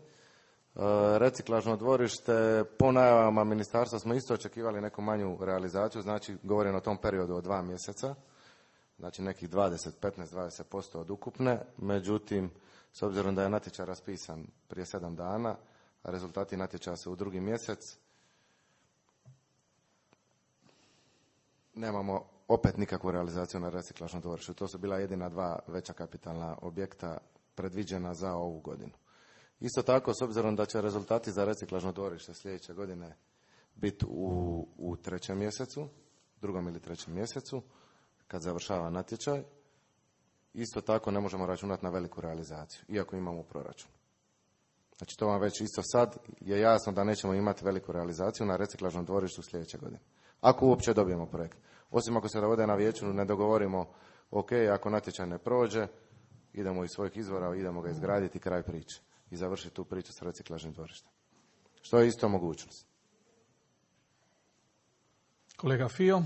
Reciklažno dvorište, po najavama ministarstva smo isto očekivali neku manju realizaciju, znači govorim o tom periodu od 2 mjeseca, znači nekih 15-20% od ukupne, međutim, s obzirom da je natječaj raspisan prije 7 dana, a rezultati natječaja su u 2. mjesec, nemamo opet nikakvu realizaciju na reciklažnom dvorištu. To su bila jedina 2 veća kapitalna objekta predviđena za ovu godinu. Isto tako, s obzirom da će rezultati za reciklažno dvorište sljedeće godine biti u 3. mjesecu, 2. ili 3. mjesecu, kad završava natječaj, isto tako ne možemo računati na veliku realizaciju, iako imamo proračun. Znači, to vam već isto sad je jasno da nećemo imati veliku realizaciju na reciklažnom dvorištu sljedeće godine. Ako uopće dobijemo projekt. Osim ako se ovdje na vijeću ne dogovorimo, ok, ako natječaj ne prođe, idemo iz svojih izvora, idemo ga izgraditi, kraj priče. I završiti tu priču s reciklažnim dvorištem. Što je isto mogućnost. Kolega Fio.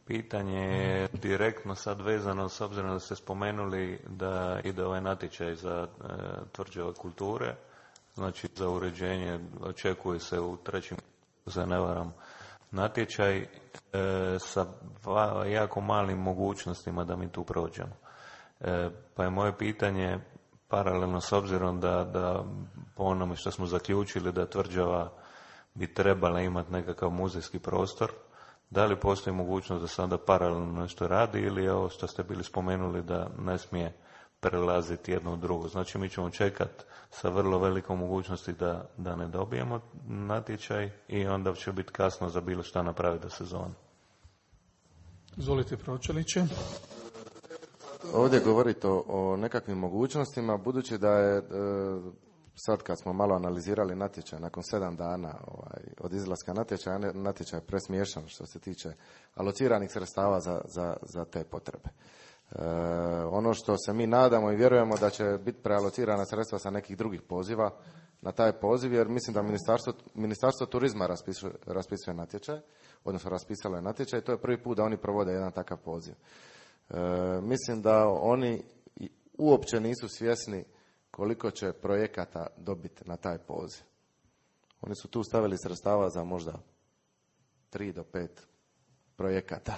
Pitanje je direktno sad vezano, s obzirom da ste spomenuli da ide ovaj natječaj za tvrđave kulture, znači za uređenje, očekuje se u 3. za ne varam natječaj sa jako malim mogućnostima da mi tu prođemo. Pa je moje pitanje, paralelno s obzirom da po onome što smo zaključili da tvrđava bi trebala imati nekakav muzejski prostor, da li postoji mogućnost da se onda paralelno nešto radi ili je ovo što ste bili spomenuli da ne smije prelaziti jedno u drugo. Znači mi ćemo čekati sa vrlo velikom mogućnosti da ne dobijemo natječaj i onda će biti kasno za bilo šta napraviti do sezone. Izvolite, pročelniče. Ovdje govorite o nekakvim mogućnostima, budući da je sad kad smo malo analizirali natječaj nakon 7 dana od izlaska natječaja, natječaj je presmiješan što se tiče alociranih sredstava za te potrebe. Ono što se mi nadamo i vjerujemo da će biti prealocirana sredstva sa nekih drugih poziva na taj poziv, jer mislim da Ministarstvo turizma raspisuje natječaj, odnosno raspisalo je natječaj i to je prvi put da oni provode jedan takav poziv. Mislim da oni uopće nisu svjesni koliko će projekata dobiti na taj poziv. Oni su tu stavili sredstava za možda 3 do 5 projekata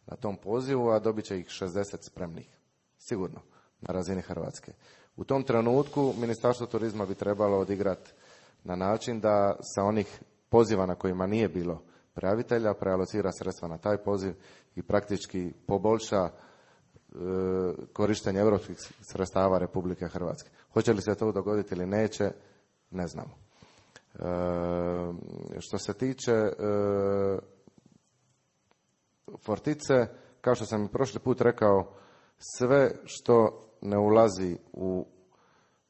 na tom pozivu, a dobit će ih 60 spremnih. Sigurno, na razini Hrvatske. U tom trenutku Ministarstvo turizma bi trebalo odigrati na način da sa onih poziva na kojima nije bilo prijavitelja prealocira sredstva na taj poziv i praktički poboljša korištenje europskih sredstava Republike Hrvatske. Hoće li se to dogoditi ili neće, ne znamo. Što se tiče Fortice, kao što sam i prošli put rekao, sve što ne ulazi u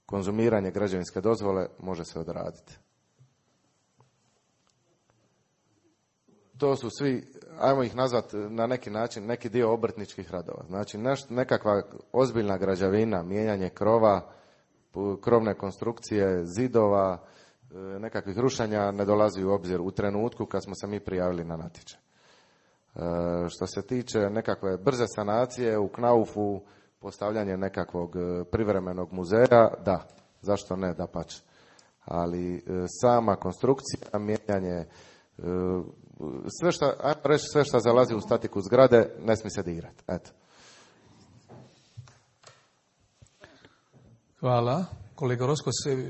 konzumiranje građevinske dozvole može se odraditi. To su svi, ajmo ih nazvati na neki način, neki dio obrtničkih radova. Znači nekakva ozbiljna građevina, mijenjanje krova, krovne konstrukcije, zidova nekakvih rušenja ne dolazi u obzir u trenutku kad smo se mi prijavili na natječaj. Što se tiče nekakve brze sanacije u Knaufu, postavljanje nekakvog privremenog muzeja, da, zašto ne, dapače. Ali sama konstrukcija, mijenjanje, sve što zalazi u statiku zgrade, ne smije se dirati. Eto. Hvala. Kolega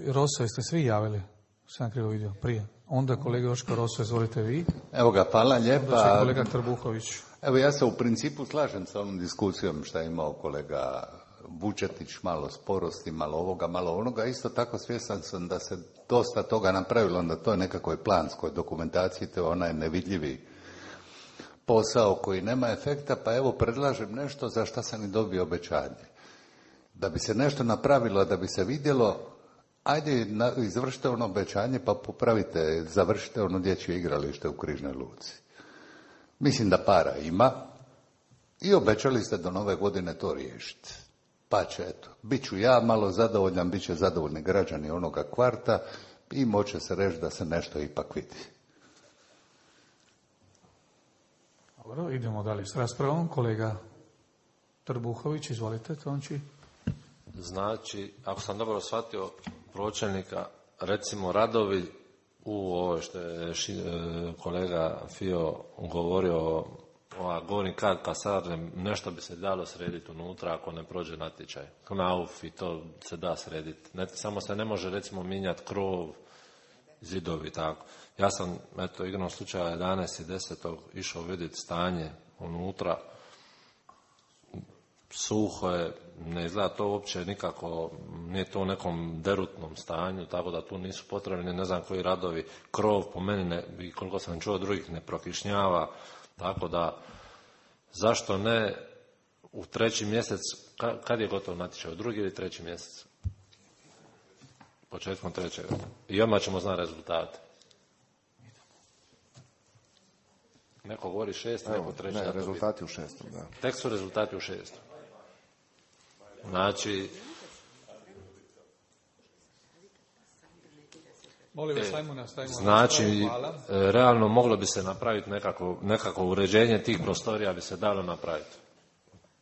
Roso, jeste svi javili? Sam krivo vidio prije. Onda kolega Joško Roso, izvolite vi. Evo ga, hvala lijepa. Onda će kolega Trbuhović. Evo, ja se u principu slažem sa ovom diskusijom što je imao kolega Vučetić, malo sporosti, malo ovoga, malo onoga. Isto tako svjestan sam da se dosta toga napravilo na toj nekakvoj planskoj dokumentaciji, to je onaj nevidljivi posao koji nema efekta, pa evo predlažem nešto za što sam i dobio obećanje. Da bi se nešto napravilo, da bi se vidjelo, ajde izvršite ono obećanje pa popravite, završite ono dječje igralište u Križnoj Luci. Mislim da para ima i obećali ste do nove godine to riješiti. Pa će, eto, bit ću ja malo zadovoljan, bit će zadovoljni građani onoga kvarta i moće se reći da se nešto ipak vidi. Dobro, idemo dalje s raspravom. Kolega Trbuhović, izvolite, Tonči. Znači, ako sam dobro shvatio pročelnika, recimo radovi u ovo što je kolega Fio govorio o gornji kat kasarne, nešto bi se dalo srediti unutra ako ne prođe natječaj. Knauf i to se da srediti. Samo se ne može recimo mijenjati krov, zidovi, tako. Ja sam, eto, igrom slučaja 11.10. išao vidjeti stanje unutra. Suho je, ne izgleda to uopće nikako, nije to u nekom derutnom stanju, tako da tu nisu potrebni, ne znam koji radovi, krov po meni, i koliko sam čuo drugih, ne prokišnjava, tako da, zašto ne u 3. mjesec, kad je gotov natječaj, u 2. ili 3. mjesec? Početkom 3. I odmah ćemo znati rezultate. Neko govori 6, neko 3. Ne, rezultati u 6. Da. Tek su rezultati u 6. Znači, znači, realno moglo bi se napraviti nekako uređenje tih prostorija bi se dalo napraviti.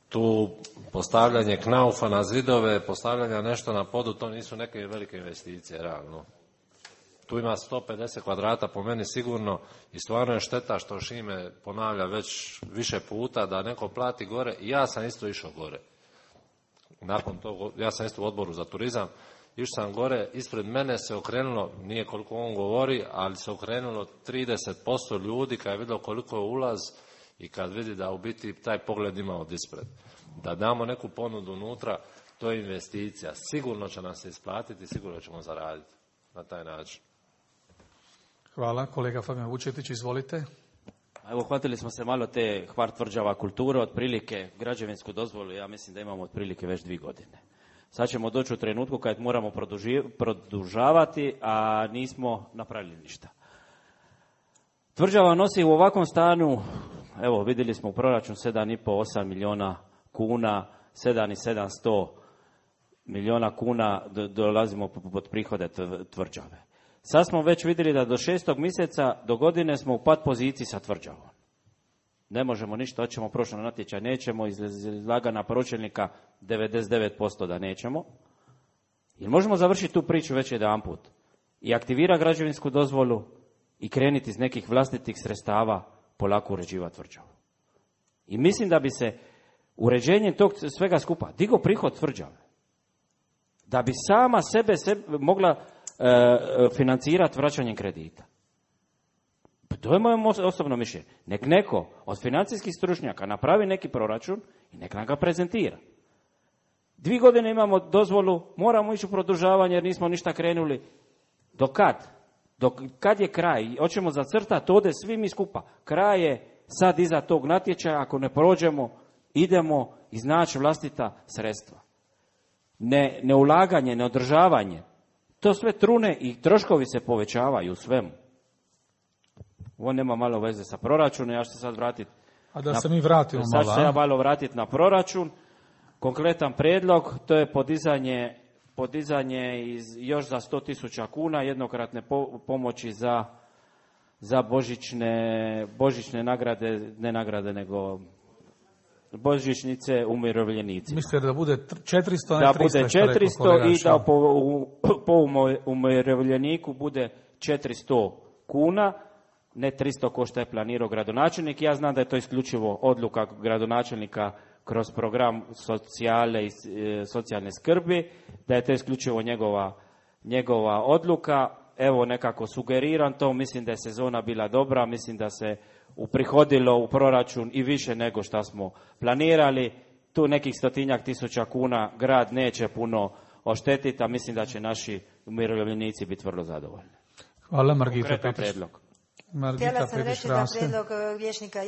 Tu postavljanje knaufa na zidove, postavljanje nešto na podu, to nisu neke velike investicije, realno. Tu ima 150 kvadrata po meni sigurno i stvarno je šteta što Šime ponavlja već više puta da neko plati gore i ja sam isto išao gore. Nakon toga, ja sam isto u odboru za turizam, išao sam gore, ispred mene se okrenulo, nije koliko on govori, ali se okrenulo 30% ljudi kad je vidio koliko je ulaz i kad vidi da u biti taj pogled ima od ispred. Da damo neku ponudu unutra, to je investicija. Sigurno će nam se isplatiti, sigurno ćemo zaraditi na taj način. Hvala. Kolega Fabijan Vučetić, izvolite. Evo, hvatili smo se malo te Hvar tvrđava kulture, otprilike građevinsku dozvolu, ja mislim da imamo otprilike već 2 godine. Sad ćemo doći u trenutku kad moramo produžavati, a nismo napravili ništa. Tvrđava nosi u ovakvom stanu, evo vidjeli smo u proračun 7,5-8 milijuna kuna, 700 milijuna kuna dolazimo pod prihode tvrđave. Sad smo već vidjeli da do 6. mjeseca do godine smo u pad poziciji sa tvrđavom. Ne možemo ništa, hoćemo prošlo na natječaj, nećemo, izlagana pročelnika 99% da nećemo. Jer možemo završiti tu priču već jedanput i aktivira građevinsku dozvolu i krenuti iz nekih vlastitih sredstava polako uređivati tvrđavu. I mislim da bi se uređenjem tog svega skupa digo prihod tvrđave. Da bi sama sebe mogla financirati vraćanjem kredita. To je moje osobno mišljenje. Nek neko od financijskih stručnjaka napravi neki proračun i nek nam ga prezentira. 2 godine imamo dozvolu, moramo ići u produžavanje jer nismo ništa krenuli. Do kad? Kad je kraj? Hoćemo zacrtati ovdje svi mi skupa. Kraj je sad iza tog natječaja, ako ne prođemo, idemo iznaći vlastita sredstva. Neulaganje, neodržavanje. To sve trune i troškovi se povećavaju u svemu. Ovo nema malo veze sa proračunom, ja ću se sad vratiti. A da se mi vratimo malo. Sad ću se ja malo vratiti na proračun. Konkretan prijedlog, to je podizanje podizanje još za 100.000 kuna jednokratne pomoći za božićne nagrade, ne nagrade nego božićnice umirovljenicima. Mislite da bude 400, da bude 400 i da po umirovljeniku bude 400 kuna, ne 300 ko što je planirao gradonačelnik. Ja znam da je to isključivo odluka gradonačelnika kroz program socijale i socijalne skrbi, da je to isključivo njegova odluka. Evo nekako sugeriram to, mislim da je sezona bila dobra, mislim da se uprihodilo u proračun i više nego što smo planirali. Tu nekih 100.000 kuna grad neće puno oštetiti, a mislim da će naši umirovljenici biti vrlo zadovoljni. Hvala, Margita Petrić. Htjela sam reći da prijedlog vijećnika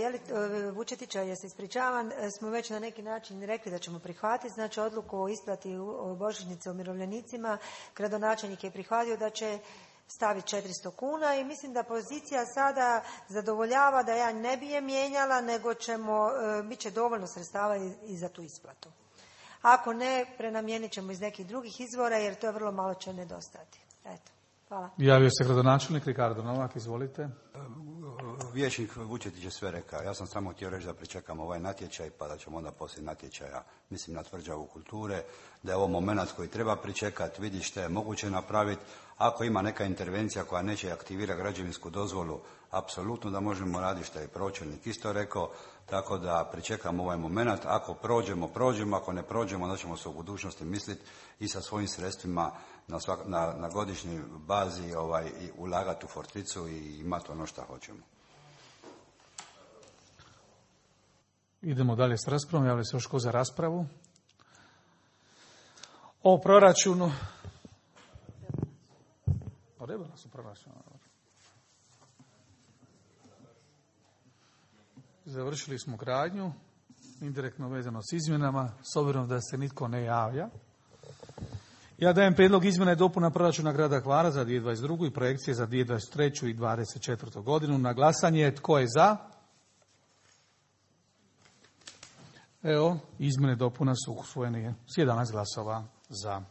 Vučetića, ja se ispričavam, smo već na neki način rekli da ćemo prihvatiti, znači odluku o isplati božićnice umirovljenicima, gradonačelnik je prihvatio da će staviti 400 kuna i mislim da pozicija sada zadovoljava da ja ne bi je mijenjala, nego bit će dovoljno sredstava i za tu isplatu. Ako ne, prenamijenit ćemo iz nekih drugih izvora jer to je vrlo malo će nedostajati. Eto. Hvala. Javio se gradonačelnik Ricardo Novak, izvolite. Vijećnik Vučetić je sve rekao. Ja sam samo htio reći da pričekamo ovaj natječaj, pa da ćemo onda poslije natječaja, mislim na tvrđavu kulture, da je ovo moment koji treba pričekati, vidi što je moguće napraviti. Ako ima neka intervencija koja neće aktivirati građevinsku dozvolu, apsolutno da možemo raditi, što je pročelnik isto rekao, tako da pričekamo ovaj moment. Ako prođemo, ako ne prođemo, onda ćemo se u budućnosti misliti i sa svojim sredstvima na godišnjoj bazi i ulagati u Forticu i imati ono što hoćemo. Idemo dalje s raspravom. Javlja se još ko za raspravu? O proračunu. O rebalansu proračuna. Završili smo gradnju, indirektno vezano s izmjenama, s obzirom da se nitko ne javlja. Ja dajem prijedlog izmjena i dopuna proračuna grada Hvara za 2022. i projekcije za 2023. i 2024. godinu. Na glasanje, tko je za? Evo, izmjene i dopuna su usvojene s 11 glasova za.